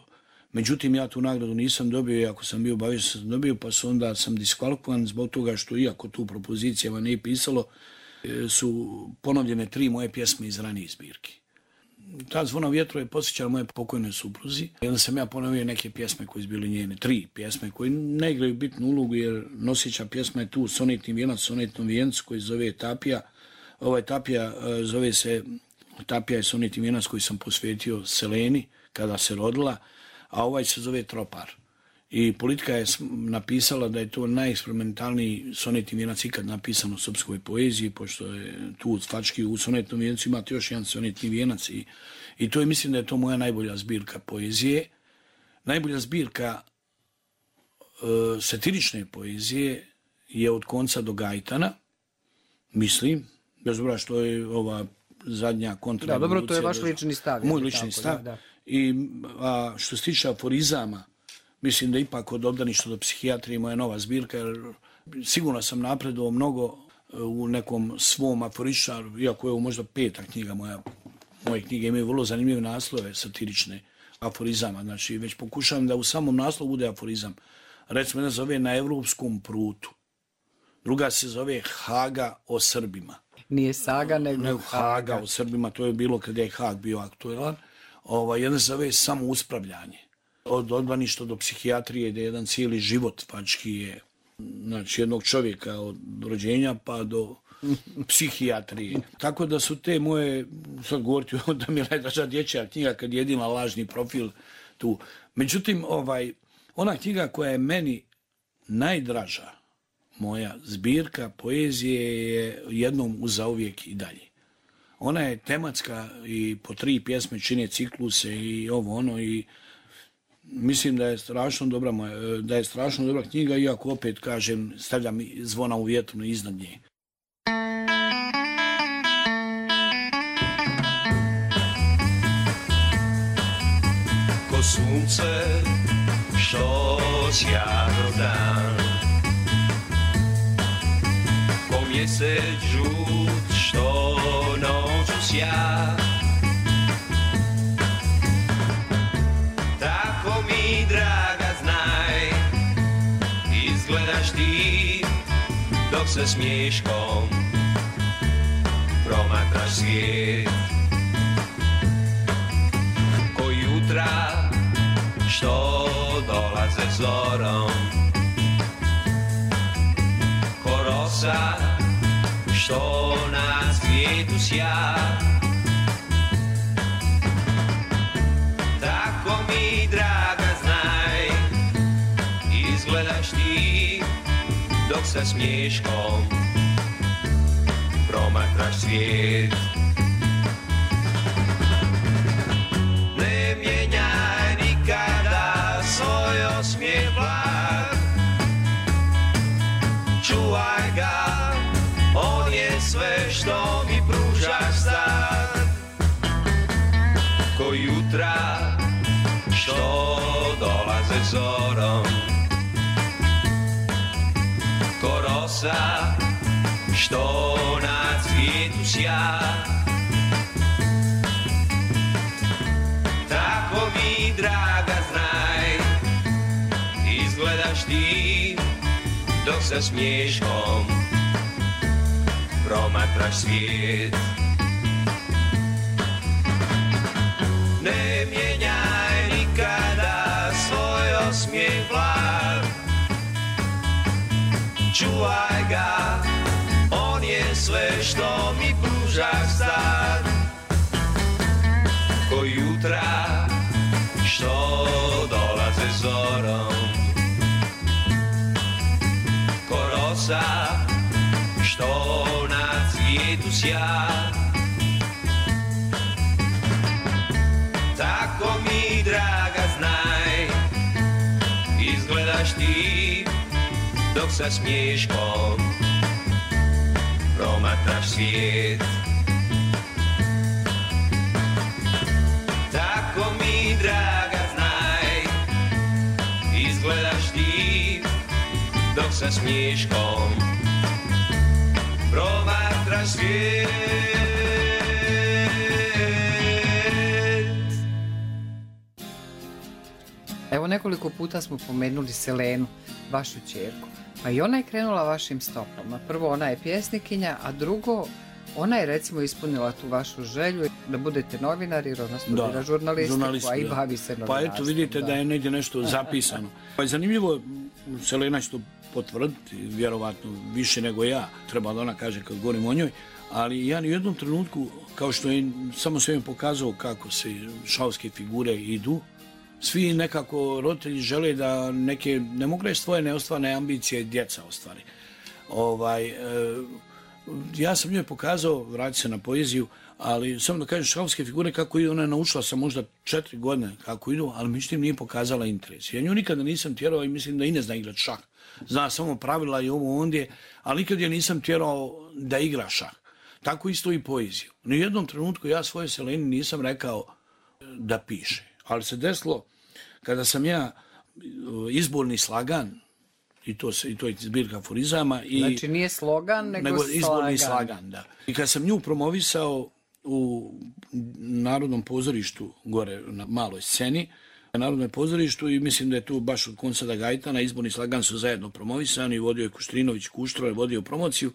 Međutim, ja tu nagradu nisam dobio, iako sam bio obavješten sam dobio, pa onda sam diskvalifikovan zbog toga što, iako tu propozicijama nije pisalo, su ponovljene 3 moje pjesme iz ranije zbirke. Ta Zvona u vjetru je posjećala moje pokojne supruzi. I onda sam ja ponovio neke pjesme koje su bile njene, 3 pjesme koje ne igraju bitnu ulogu, jer nosjeća pjesma je tu Sonetni vijenac, sonetnom vijencu koji se zove Tapija. Tapija zove se, Tapija je sonetni vijenac koji sam posvetio Seleni kada se rodila, a ovaj se zove Tropar. i Politika je napisala da je to najeksperimentalniji sonetni vijenac ikad napisan u srpskoj poeziji, pošto je tu u Fački u sonetnom vijencu imate još jedan sonetni vijenac i to je, mislim da je to moja najbolja zbirka poezije. Najbolja zbirka satirične poezije je Od konca do Gajtana, mislim, bez obzira što je ova zadnja kontrarevolucija. Da, dobro, to je vaš lični stav. Moj lični stav. Da. A što se tiče aforizama, mislim da ipak Od obdaništa do psihijatrije moja nova zbirka, jer sigurno sam napredovao mnogo u nekom svom aforičaru, iako je ovo možda 5. knjiga moja. Moje knjige imaju vrlo zanimljive naslove satirične aforizama. Znači, već pokušavam da u samom naslovu bude aforizam. Recimo, jedna zove Na evropskom prutu. Druga se zove Haga o Srbima. Nije saga, nego Haga o Srbima. To je bilo kada je Hag bio aktuelan. Jedna se zove Samo uspravljanje. Od odbaništa do psihijatrije, gdje jedan cijeli život fački je, znači, jednog čovjeka od rođenja pa do psihijatrije. Tako da su te moje, sad govoriti da mi je najdraža dječja knjiga kad je jedina lažni profil tu. Međutim, ona knjiga koja je meni najdraža, moja zbirka poezije je Jednom uzauvijek i dalje. Ona je tematska i po 3 pjesme čine cikluse i ovo ono i mislim da je strašno dobra knjiga, iako opet kažem stavljam Zvona u vjetru iznad nje. Ko sunce što sjajno dan, ko mjesec žut što noću sja, tako mi draga znaj, izgledaš ti dok se smiješkom promatraš svijet. Ko jutra što dolaze zorom, ko rosa što na svijetu sja, tako mi draga znaj, izgledaš ti dok sa smiješkom promatraš svijet. Ne mijenjaj nikada svoj osmijeh blag, čuvaj ga, on je sve što mi pružaš sad. Ko jutra što dolaze zorom, ko rosa što na cvijetu sja, tako mi draga znaj, izgledaš ti dok sa smiješkom promatraš svijet. Ne mijenjaj nikada svoj osmijeh blag, čuvaj ga, on je sve što mi pružaš sad. Ko jutra što dolaze zorom, ko rosa što na cvijetu sja, tako mi draga znaj, izgledaš ti dok sa smiješkom promatraš svijet. Tako mi draga znaj, izgledaš ti dok sa smiješkom promatraš svijet. Evo, nekoliko puta smo pomenuli Selenu, vašu ćerku. Pa i ona je krenula vašim stopama. Prvo, ona je pjesnikinja, a drugo, ona je recimo ispunila tu vašu želju da budete novinar, jer ona studira žurnalistiku, a i bavi se novinarstvom. Pa eto, vidite da je negdje nešto zapisano. Pa je zanimljivo, Selena će to potvrditi, vjerovatno više nego ja, treba da ona kaže kad govorim o njoj, ali ja ni u jednom trenutku, kao što je samo se im pokazao kako se šahovske figure idu, svi nekako roditelji žele da neke, ne mogu reći svoje neostvarne ambicije djeca ostvari. Ja sam njoj pokazao, vraći se na poeziju, ali samo da kažem šahovske figure kako idu, ona je naučila sam možda 4 godine kako idu, ali međutim nije pokazala interes. Ja nju nikada nisam tjerao i mislim da i ne zna igrati šah. Zna samo pravila i ovo ondje, ali nikad je nisam tjerao da igra šah. Tako isto i poeziju. U jednom trenutku ja svoje Seleni nisam rekao da piše. Ali se desilo kada sam ja izborni slagan, i to je zbirka aforizama. Znači nije slogan, nego izborni slagan, da. I kad sam nju promovisao u Narodnom pozorištu, gore na maloj sceni, na Narodnom pozorištu, i mislim da je tu baš od Konsada Gajtana, izborni slagan su zajedno promovisani, vodio je Kuštrinović, Kuštro je vodio promociju,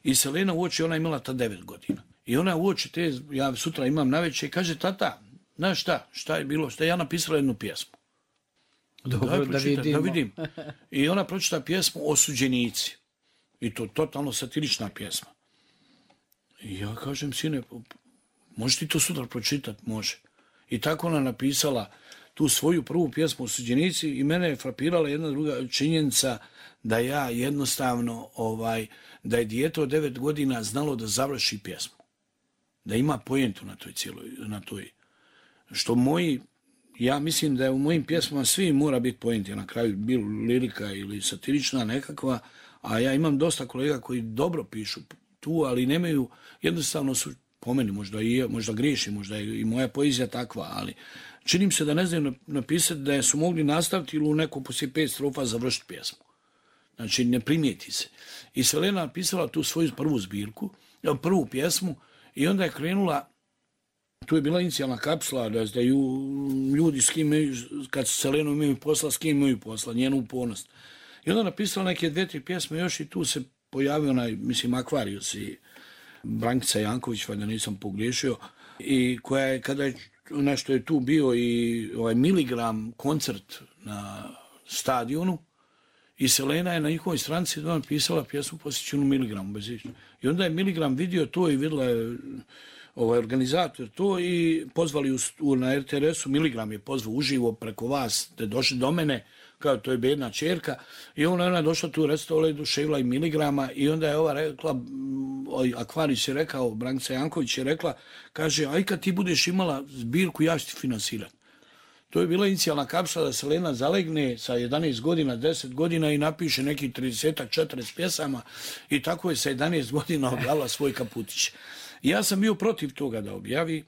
i Selena uoči, ona je imala ta 9 godina. I ona uoči te, ja sutra imam navečer, i kaže, tata, znaš šta je bilo, šta je ja napisala jednu pjesmu. Dobro, da vidim. I ona pročita pjesmu Osuđenici. I to totalno satirična pjesma. I ja kažem, sine, možeš ti to sutra pročitati? Može. I tako ona napisala tu svoju prvu pjesmu Osuđenici i mene je frapirala jedna druga činjenica da ja jednostavno, da je dijete od 9 godina znalo da završi pjesmu. Da ima pojentu na toj. Što moji, ja mislim da je u mojim pjesmama svi mora biti poenti, na kraju bilo lirika ili satirična nekakva, a ja imam dosta kolega koji dobro pišu tu, ali nemaju, jednostavno su, po meni možda griješim, možda je i moja poezija takva, ali činim se da ne znaju napisati da su mogli nastaviti ili u neko poslije 5 strofa završiti pjesmu. Znači ne primijeti se. I Selena napisala tu svoju prvu pjesmu i onda je krenula. Tu je bila inicijalna kapsula, da ljudi s kim kad su Selenu imaju posla, s kim imaju posla, njenu upornost. I onda napisala neke 2-3 pjesme još i tu se pojavio Akvarijus i Brankica Janković, valjda nisam pogriješio, i koja je, kada je nešto je tu bio i Miligram koncert na stadionu, i Selena je na njihovoj stranici napisala pjesmu posvećenu Miligramu. I onda je Miligram vidio to i vidjela je organizator to i pozvali na RTRS-u, Miligram je pozvao uživo preko vas, da je došli do mene, kao to je bedna čerka, i ona je došla tu u restaurant, duševila i Miligrama, i onda je ova rekla, Akvarić je rekao, Brankica Janković je rekla, kaže, aj kad ti budeš imala zbirku, ja ću ti finansirati. To je bila inicijalna kapsula da Selena zalegne sa 11 godina, 10 godina i napiše nekih 30-40 pjesama, i tako je sa 11 godina objavila svoj kaputić. Ja sam bio protiv toga da objavi,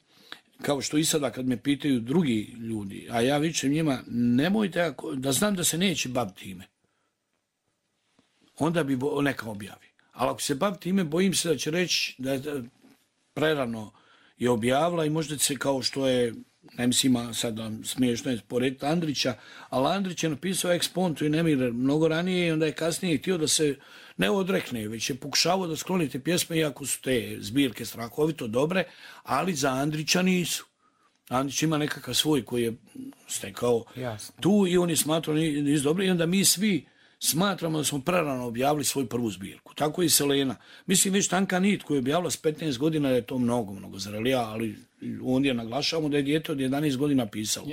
kao što i sada kad me pitaju drugi ljudi, a ja vičem njima, nemojte, da znam da se neće baviti time, onda bi neka objavi. Ali ako se bavi time, bojim se da će reći da je prerano je objavila i možda se, kao što je, ne mislim sad smiješno je porediti Andrića, ali Andrić je napisao Ekspontu i Nemir mnogo ranije i onda je kasnije htio da se ne odrekne, već je pokušavao da skloni te pjesme, iako su te zbirke strahovito dobre, ali za Andrića nisu. Andrić ima nekakav svoj koji je stekao tu i on je smatrao nisu dobri, i onda mi svi smatramo da smo prerano objavili svoju prvu zbirku. Tako i Selena. Mislim, već Tanka nit koju je objavila s 15 godina je to mnogo zrelija, ali ondje naglašavamo da je dijete od 11 godina pisalo.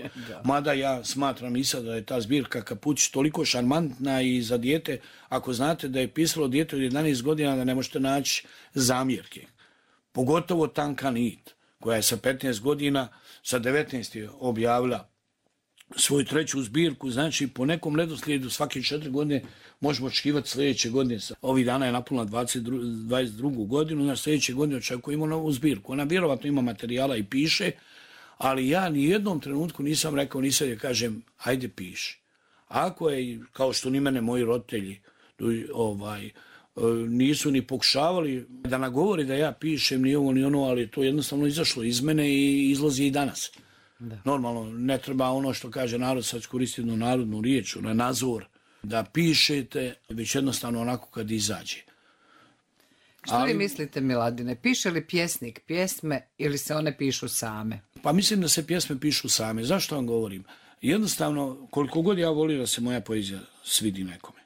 Mada ja smatram i sad da je ta zbirka Kaputić toliko šarmantna i za dijete, ako znate da je pisalo dijete od 11 godina, da ne možete naći zamjerke. Pogotovo Tanka nit, koja je sa 15 godina, sa 19 je objavila svoju treću zbirku, znači po nekom redoslijedu svake 4 godine možemo očekivati sljedeće godine. Ovih dana je napunila 22. godinu, na sljedeće godine očekujemo novu zbirku. Ona vjerovatno ima materijala i piše, ali ja ni jednom trenutku nisam rekao, nisam je kažem, ajde piši. Ako je, kao što ni mene moji roditelji nisu ni pokušavali da nagovori da ja pišem ni ovo ni ono, ali to jednostavno izašlo iz mene i izlazi i danas. Da. Normalno, ne treba ono što kaže narod, sad koristi jednu narodnu riječ, na nazor, da pišete, već jednostavno onako kad izađe. Što vi mislite, Miladine, piše li pjesnik pjesme ili se one pišu same? Pa mislim da se pjesme pišu same. Zašto vam govorim? Jednostavno, koliko god ja volim da se moja poezija svidi nekome.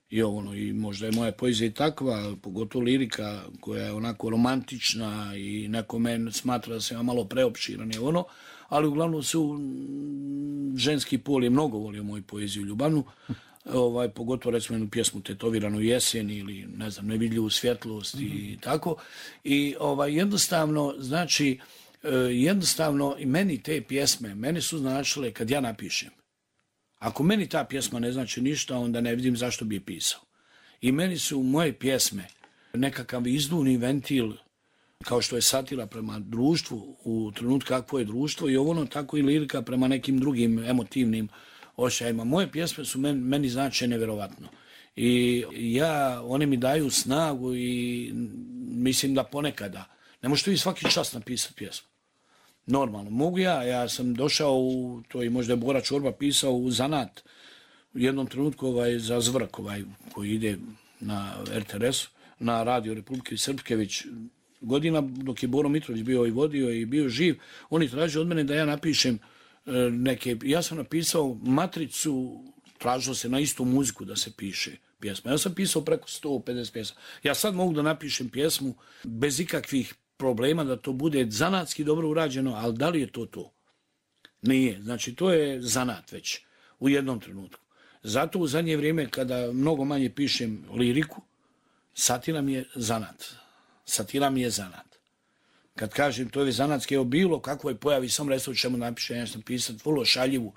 I možda je moja poezija i takva, pogotovo lirika koja je onako romantična i neko men smatra da se ima malo preopširan ali uglavnom su ženski pol je mnogo volio moju poeziju ljubavnu, pogotovo recimo jednu pjesmu Tetoviranu jesen ili ne znam, Nevidljivu svjetlost i tako. I jednostavno, znači, jednostavno i meni te pjesme, meni su značile kad ja napišem. Ako meni ta pjesma ne znači ništa, onda ne vidim zašto bi je pisao. I meni su moje pjesme nekakav izduvni ventil, kao što je satira prema društvu u trenutku kakvo je društvo i tako i lirika prema nekim drugim emotivnim osjećajima. Moje pjesme su meni znače nevjerovatno. I one mi daju snagu i mislim da ponekada. Ne možete vi svaki čas napisati pjesmu. Normalno. Mogu ja sam došao to i možda je Bora Čorba pisao u zanat u jednom trenutku za Zvrk koji ide na RTS, na Radio Republike Srpske već godina, dok je Boro Mitrović bio i vodio i bio živ. Oni traže od mene da ja napišem ja sam napisao matricu, tražilo se na istu muziku da se piše pjesma. Ja sam pisao preko 150 pjesma. Ja sad mogu da napišem pjesmu bez ikakvih problema, da to bude zanatski dobro urađeno, ali da li je to? Nije. Znači, to je zanat već u jednom trenutku. Zato u zadnje vrijeme, kada mnogo manje pišem liriku, satira mi je zanat. Satira mi je zanat. Kad kažem to je zanatski, evo bilo kakvoj pojavi, sam resto čemu napišem, ja sam pisati vrlo šaljivu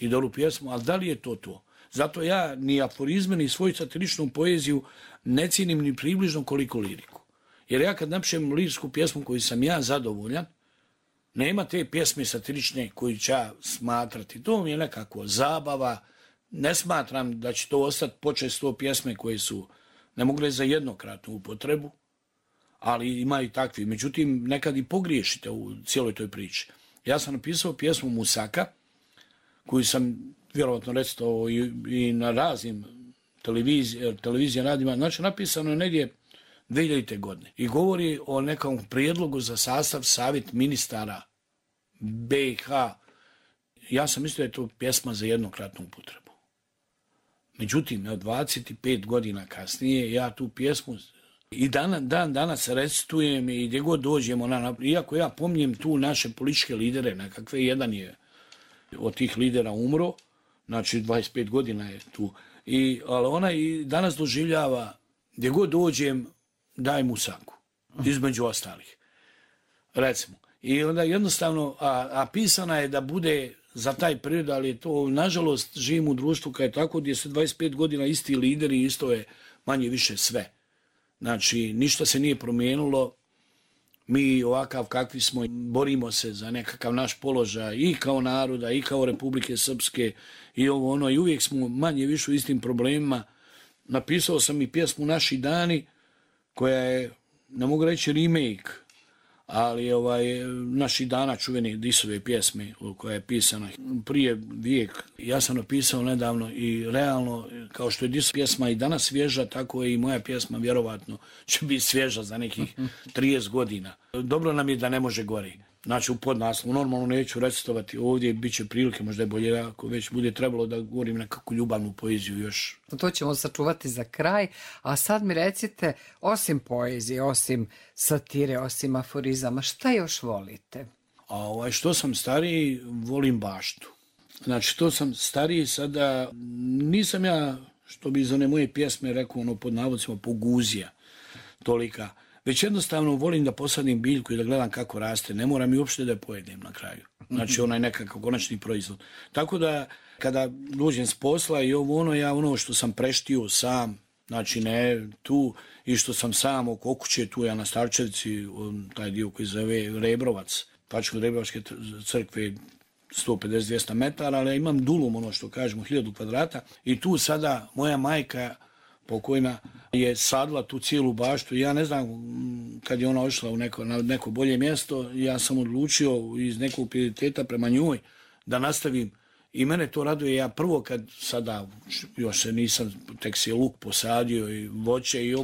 i dobru pjesmu, ali da li je to? Zato ja ni aforizme, ni svoju satiričnu poeziju ne cijenim ni približno koliko liriku. Jer ja kad napišem lirsku pjesmu koju sam ja zadovoljan, nema te pjesme satirične koju ću ja smatrati. To mi je nekako zabava. Ne smatram da će to ostati počesto pjesme koje su ne mogle za jednokratnu upotrebu, ali ima i takvi. Međutim, nekad i pogriješite u cijeloj toj priči. Ja sam napisao pjesmu Musaka, koju sam vjerovatno recitao i na raznim televizija radima. Znači, napisano je negdje 2000. godine. I govori o nekom prijedlogu za sastav savjet ministara BiH. Ja sam mislio da je to pjesma za jednokratnu upotrebu. Međutim, 25 godina kasnije ja tu pjesmu i danas recitujem i gdje god dođemo, iako ja pominjem tu naše političke lidere, nekakve, jedan je od tih lidera umro, znači 25 godina je tu, ali ona i danas doživljava, gdje god dođem, daj Musaku, između ostalih, recimo. I onda jednostavno, a pisana je da bude za taj period, ali je to, nažalost, živim u društvu kad je tako, gdje se 25 godina isti lideri, isto je manje više sve. Znači, ništa se nije promijenilo, mi ovakav kakvi smo, borimo se za nekakav naš položaj i kao naroda, i kao Republike Srpske, i i uvijek smo manje više u istim problemima. Napisao sam i pjesmu Naši dani, koja je, ne mogu reći remake, ali Naši dana čuvene Disove pjesme koja je pisana prije vijek. Ja sam napisao nedavno i realno, kao što je Disova pjesma i danas svježa, tako je i moja pjesma vjerovatno će biti svježa za nekih 30 godina. Dobro nam je da ne može gori. Znači u podnaslovu, normalno neću recitovati ovdje, bit će prilike, možda je bolje ako već bude trebalo da govorim nekakvu ljubavnu poeziju još. To ćemo sačuvati za kraj, a sad mi recite, osim poezije, osim satire, osim aforizama, šta još volite? Što sam stariji, volim baštu. Znači što sam stariji sada, nisam ja, što bi iz one moje pjesme rekao, pod navodcima, poguzija tolika. Već jednostavno volim da posadim biljku i da gledam kako raste. Ne moram i uopšte da je pojedem na kraju. Znači onaj nekakav konačni proizvod. Tako da kada dođem s posla i ja što sam preštio sam, znači ne tu, i što sam sam oko kuće tu ja na Starčevici, taj dio koji zove Rebrovac, Pačko-Rebrovačke crkve 150-200 metara, ali imam dulum, što kažemo, 1000 kvadrata i tu sada moja majka pokojna je sadila tu cijelu baštu. Ja ne znam, kad je ona ošla na neko bolje mjesto, ja sam odlučio iz nekog prioriteta prema njoj da nastavim. I mene to raduje. Ja prvo kad sada, još se nisam, tek se luk posadio i voće i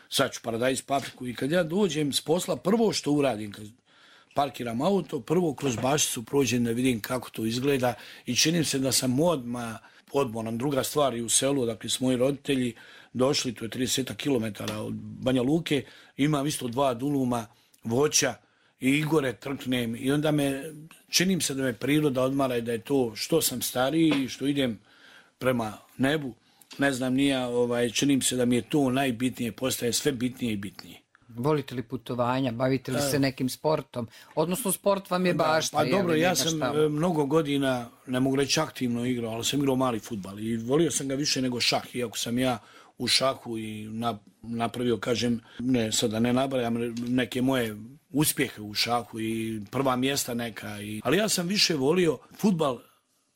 sad ću paradajz, papriku. I kad ja dođem s posla, prvo što uradim, kad parkiram auto, prvo kroz bašticu prođem da vidim kako to izgleda i činim se da sam odmoran. Druga stvar i u selu, dakle s moji roditelji došli, to je 30 km od Banja Luke, imam isto 2 duluma voća i Igore trknem i onda činim se da me priroda odmara i da je to što sam stariji, što idem prema nebu, ne znam nija, činim se da mi je to najbitnije, postaje sve bitnije i bitnije. Volite li putovanja, bavite li se nekim sportom? Odnosno sport vam je bašta. Pa dobro, ja sam mnogo godina, ne mogu reći aktivno igrao, ali sam igrao mali fudbal i volio sam ga više nego šah, iako sam ja u šahu i napravio, kažem, ne, sada ne nabrajam neke moje uspjehe u šahu i prva mjesta neka. Ali ja sam više volio fudbal,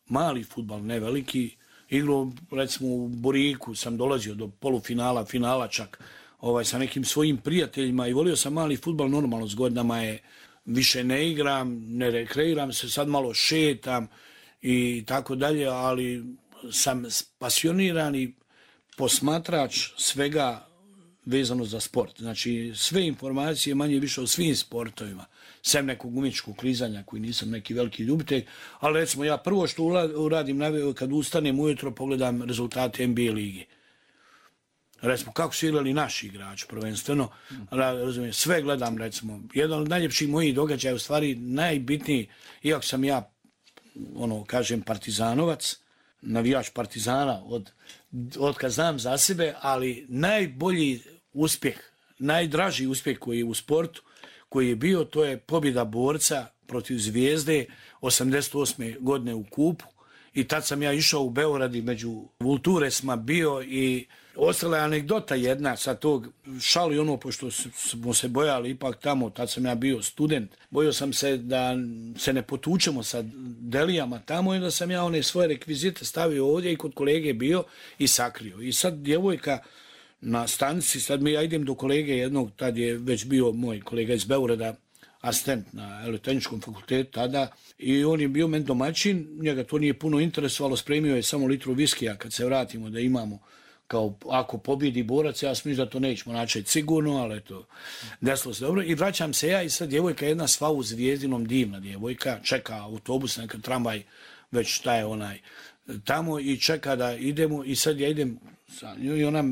mali fudbal, ne veliki. Igrao, recimo, u Boriku sam dolazio do polufinala, finala čak, sa nekim svojim prijateljima i volio sam mali fudbal, normalno s godinama je više ne igram, ne rekreiram se, sad malo šetam i tako dalje, ali sam pasioniran i posmatrač svega vezano za sport. Znači, sve informacije manje više o svim sportovima, sem nekog umjetničkog klizanja koji nisam neki veliki ljubitelj, ali recimo ja prvo što uradim kad ustanem ujutro pogledam rezultate NBA lige. Recimo, kako su igrali naši igrači, prvenstveno, razumijem, sve gledam, recimo, jedan od najljepših mojih događaja, u stvari najbitniji, iako sam ja, kažem, partizanovac, navijač Partizana od kad znam za sebe, ali najbolji uspjeh, najdraži uspjeh koji je u sportu, koji je bio, to je pobjeda Borca protiv Zvijezde 88. godine u kupu. I tad sam ja išao u Beograd i među Vulturesma bio i ostala je anegdota jedna sa tog šali pošto smo se bojali ipak tamo, tad sam ja bio student, bojao sam se da se ne potučemo sa delijama tamo i da sam ja one svoje rekvizite stavio ovdje i kod kolege bio i sakrio. I sad djevojka na stanici, sad ja idem do kolege jednog, tad je već bio moj kolega iz Beograda, asistent na Elektrotehničkom fakultetu tada i on je bio meni domaćin, njega to nije puno interesovalo, spremio je samo litru viskija kad se vratimo da imamo kao ako pobjedi Borac, ja sam da to nećemo načeti sigurno, ali eto, desilo se dobro. I vraćam se ja i sad djevojka jedna sva u Zvijezdinom, divna djevojka, čeka autobus, neka tramvaj, već šta je tamo i čeka da idemo i sad ja idem sa njoj i ona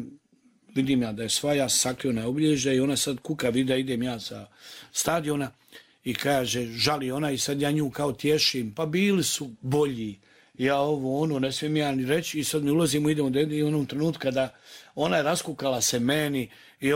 vidim ja da je sva, ja sakrio na obilježje i ona sad kuka vidi da idem ja sa stadiona i kaže, žali ona i sad ja nju kao tješim, pa bili su bolji, ja ne smijem ja ni reći i sad mi ulazimo, idemo da i u onom trenutku kada ona je raskukala se meni i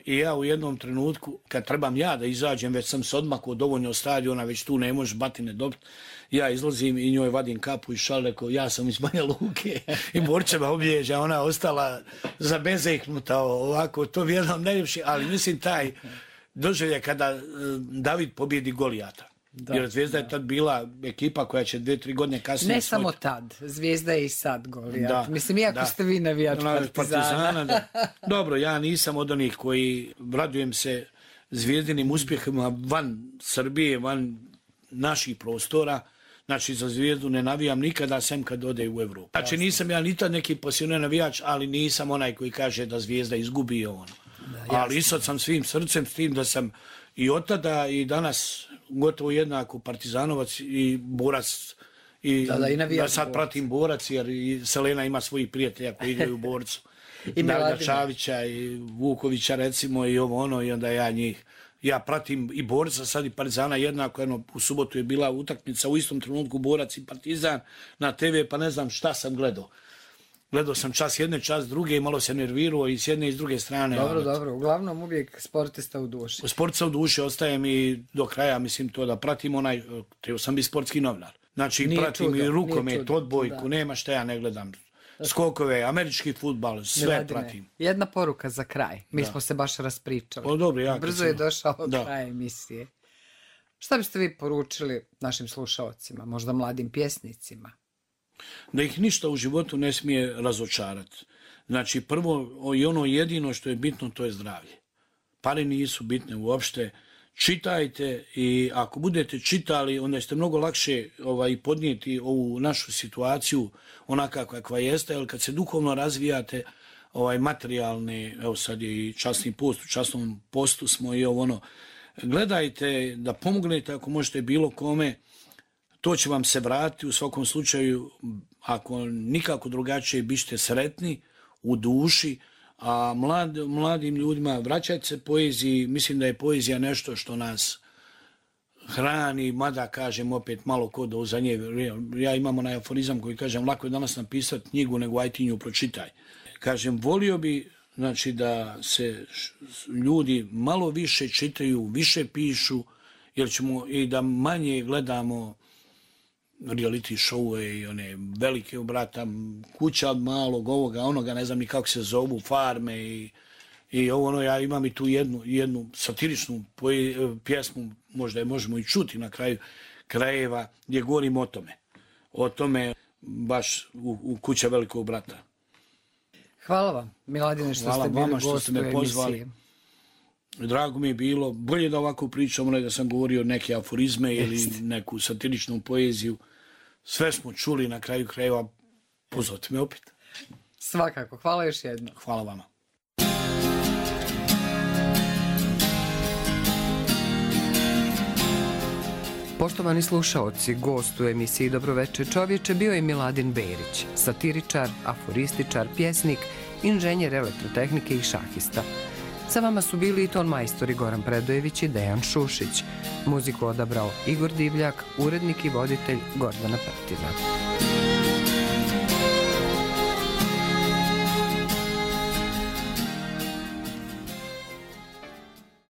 i ja u jednom trenutku, kad trebam ja da izađem, već sam se odmakao dovoljno od stadiona, već tu ne možeš batine dobiti, ja izlazim i njoj vadim kapu i šal, rekao, ja sam iz Banja Luke i Borčeva obilježja, ona ostala zabezeknuta ovako, to vjerujem najljepši, ali mislim taj doživljaj kada David pobjedi Golijata. Jer Zvijezda je tad bila ekipa koja će 2-3 godine kasnije... Ne samo tad, Zvijezda je i sad Golijat. Mislim, iako ste vi navijač Partizana. Dobro, ja nisam od onih koji radujem se zvijezdinim uspjehima van Srbije, van naših prostora. Znači, za Zvijezdu ne navijam nikada, sem kad ode u Evropu. Znači, nisam ja ni tad neki pasionirani navijač, ali nisam onaj koji kaže da Zvijezda izgubi Ali sad sam svim srcem s tim da sam i od tada i danas gotovo jednako Partizanovac i Borac. I da sad pratim Borac jer i Selena ima svojih prijatelja koji igraju u Borcu. I Darga Čavića i Vukovića recimo i i onda ja njih. Ja pratim i Borca, sad i Partizana jednako, u subotu je bila utakmica u istom trenutku Borac i Partizan na TV, pa ne znam šta sam gledao. Gledao sam čas jedne, čas druge i malo se nervirao i s jedne i s druge strane. Dobro. Uglavnom uvijek sportista u duši. Sportista u duši, ostaje mi do kraja, mislim to da pratim trebao sam biti sportski novinar. Znači pratim i rukomet, odbojku, nema šta ja ne gledam. Skokove, američki fudbal, sve pratim. Jedna poruka za kraj. Mi smo se baš raspričali. Dobro, brzo je došao kraj emisije. Šta biste vi poručili našim slušaocima, možda mladim pjesnicima? Da ih ništa u životu ne smije razočarati. Znači, prvo i jedino što je bitno, to je zdravlje. Pare nisu bitne uopšte. Čitajte i ako budete čitali, onda ćete mnogo lakše podnijeti ovu našu situaciju onaka kakva jeste, jer kad se duhovno razvijate, materijalne, evo sad je i časni post, u časnom postu smo i gledajte da pomognete ako možete bilo kome, to će vam se vratiti, u svakom slučaju, ako nikako drugačije, bište sretni u duši, a mladim ljudima vraćajte se poeziji, mislim da je poezija nešto što nas hrani, mada kažem opet malo kod za nje. Ja imam onaj aforizam koji kažem lako je danas napisati knjigu nego aj ti nju pročitaj. Kažem, volio bi znači da se ljudi malo više čitaju, više pišu, jer ćemo i da manje gledamo reality show i one velike brata, kuća od malog ovoga, onoga, ne znam ni kako se zovu, farme i ovo ono, ja imam i tu jednu satiričnu pjesmu, možda je možemo i čuti na kraju krajeva, gdje govorim o tome baš u kuća velikog brata. Hvala vam, Miladine, što ste bili gost u emisiji. Drago mi je bilo, bolje da ovako pričamo, nego da sam govorio neke aforizme ili neku satiričnu poeziju. Sve smo čuli, na kraju krajeva, pozovite me opet. Svakako, hvala još jedno. Hvala vama. Poštovani slušaoci, gost u emisiji Dobroveče čovječe bio je Miladin Berić, satiričar, aforističar, pjesnik, inženjer elektrotehnike i šahista. Sa vama su bili i ton majstori Goran Predojević i Dejan Šušić. Muziku odabrao Igor Divljak, urednik i voditelj Gordana Prtina.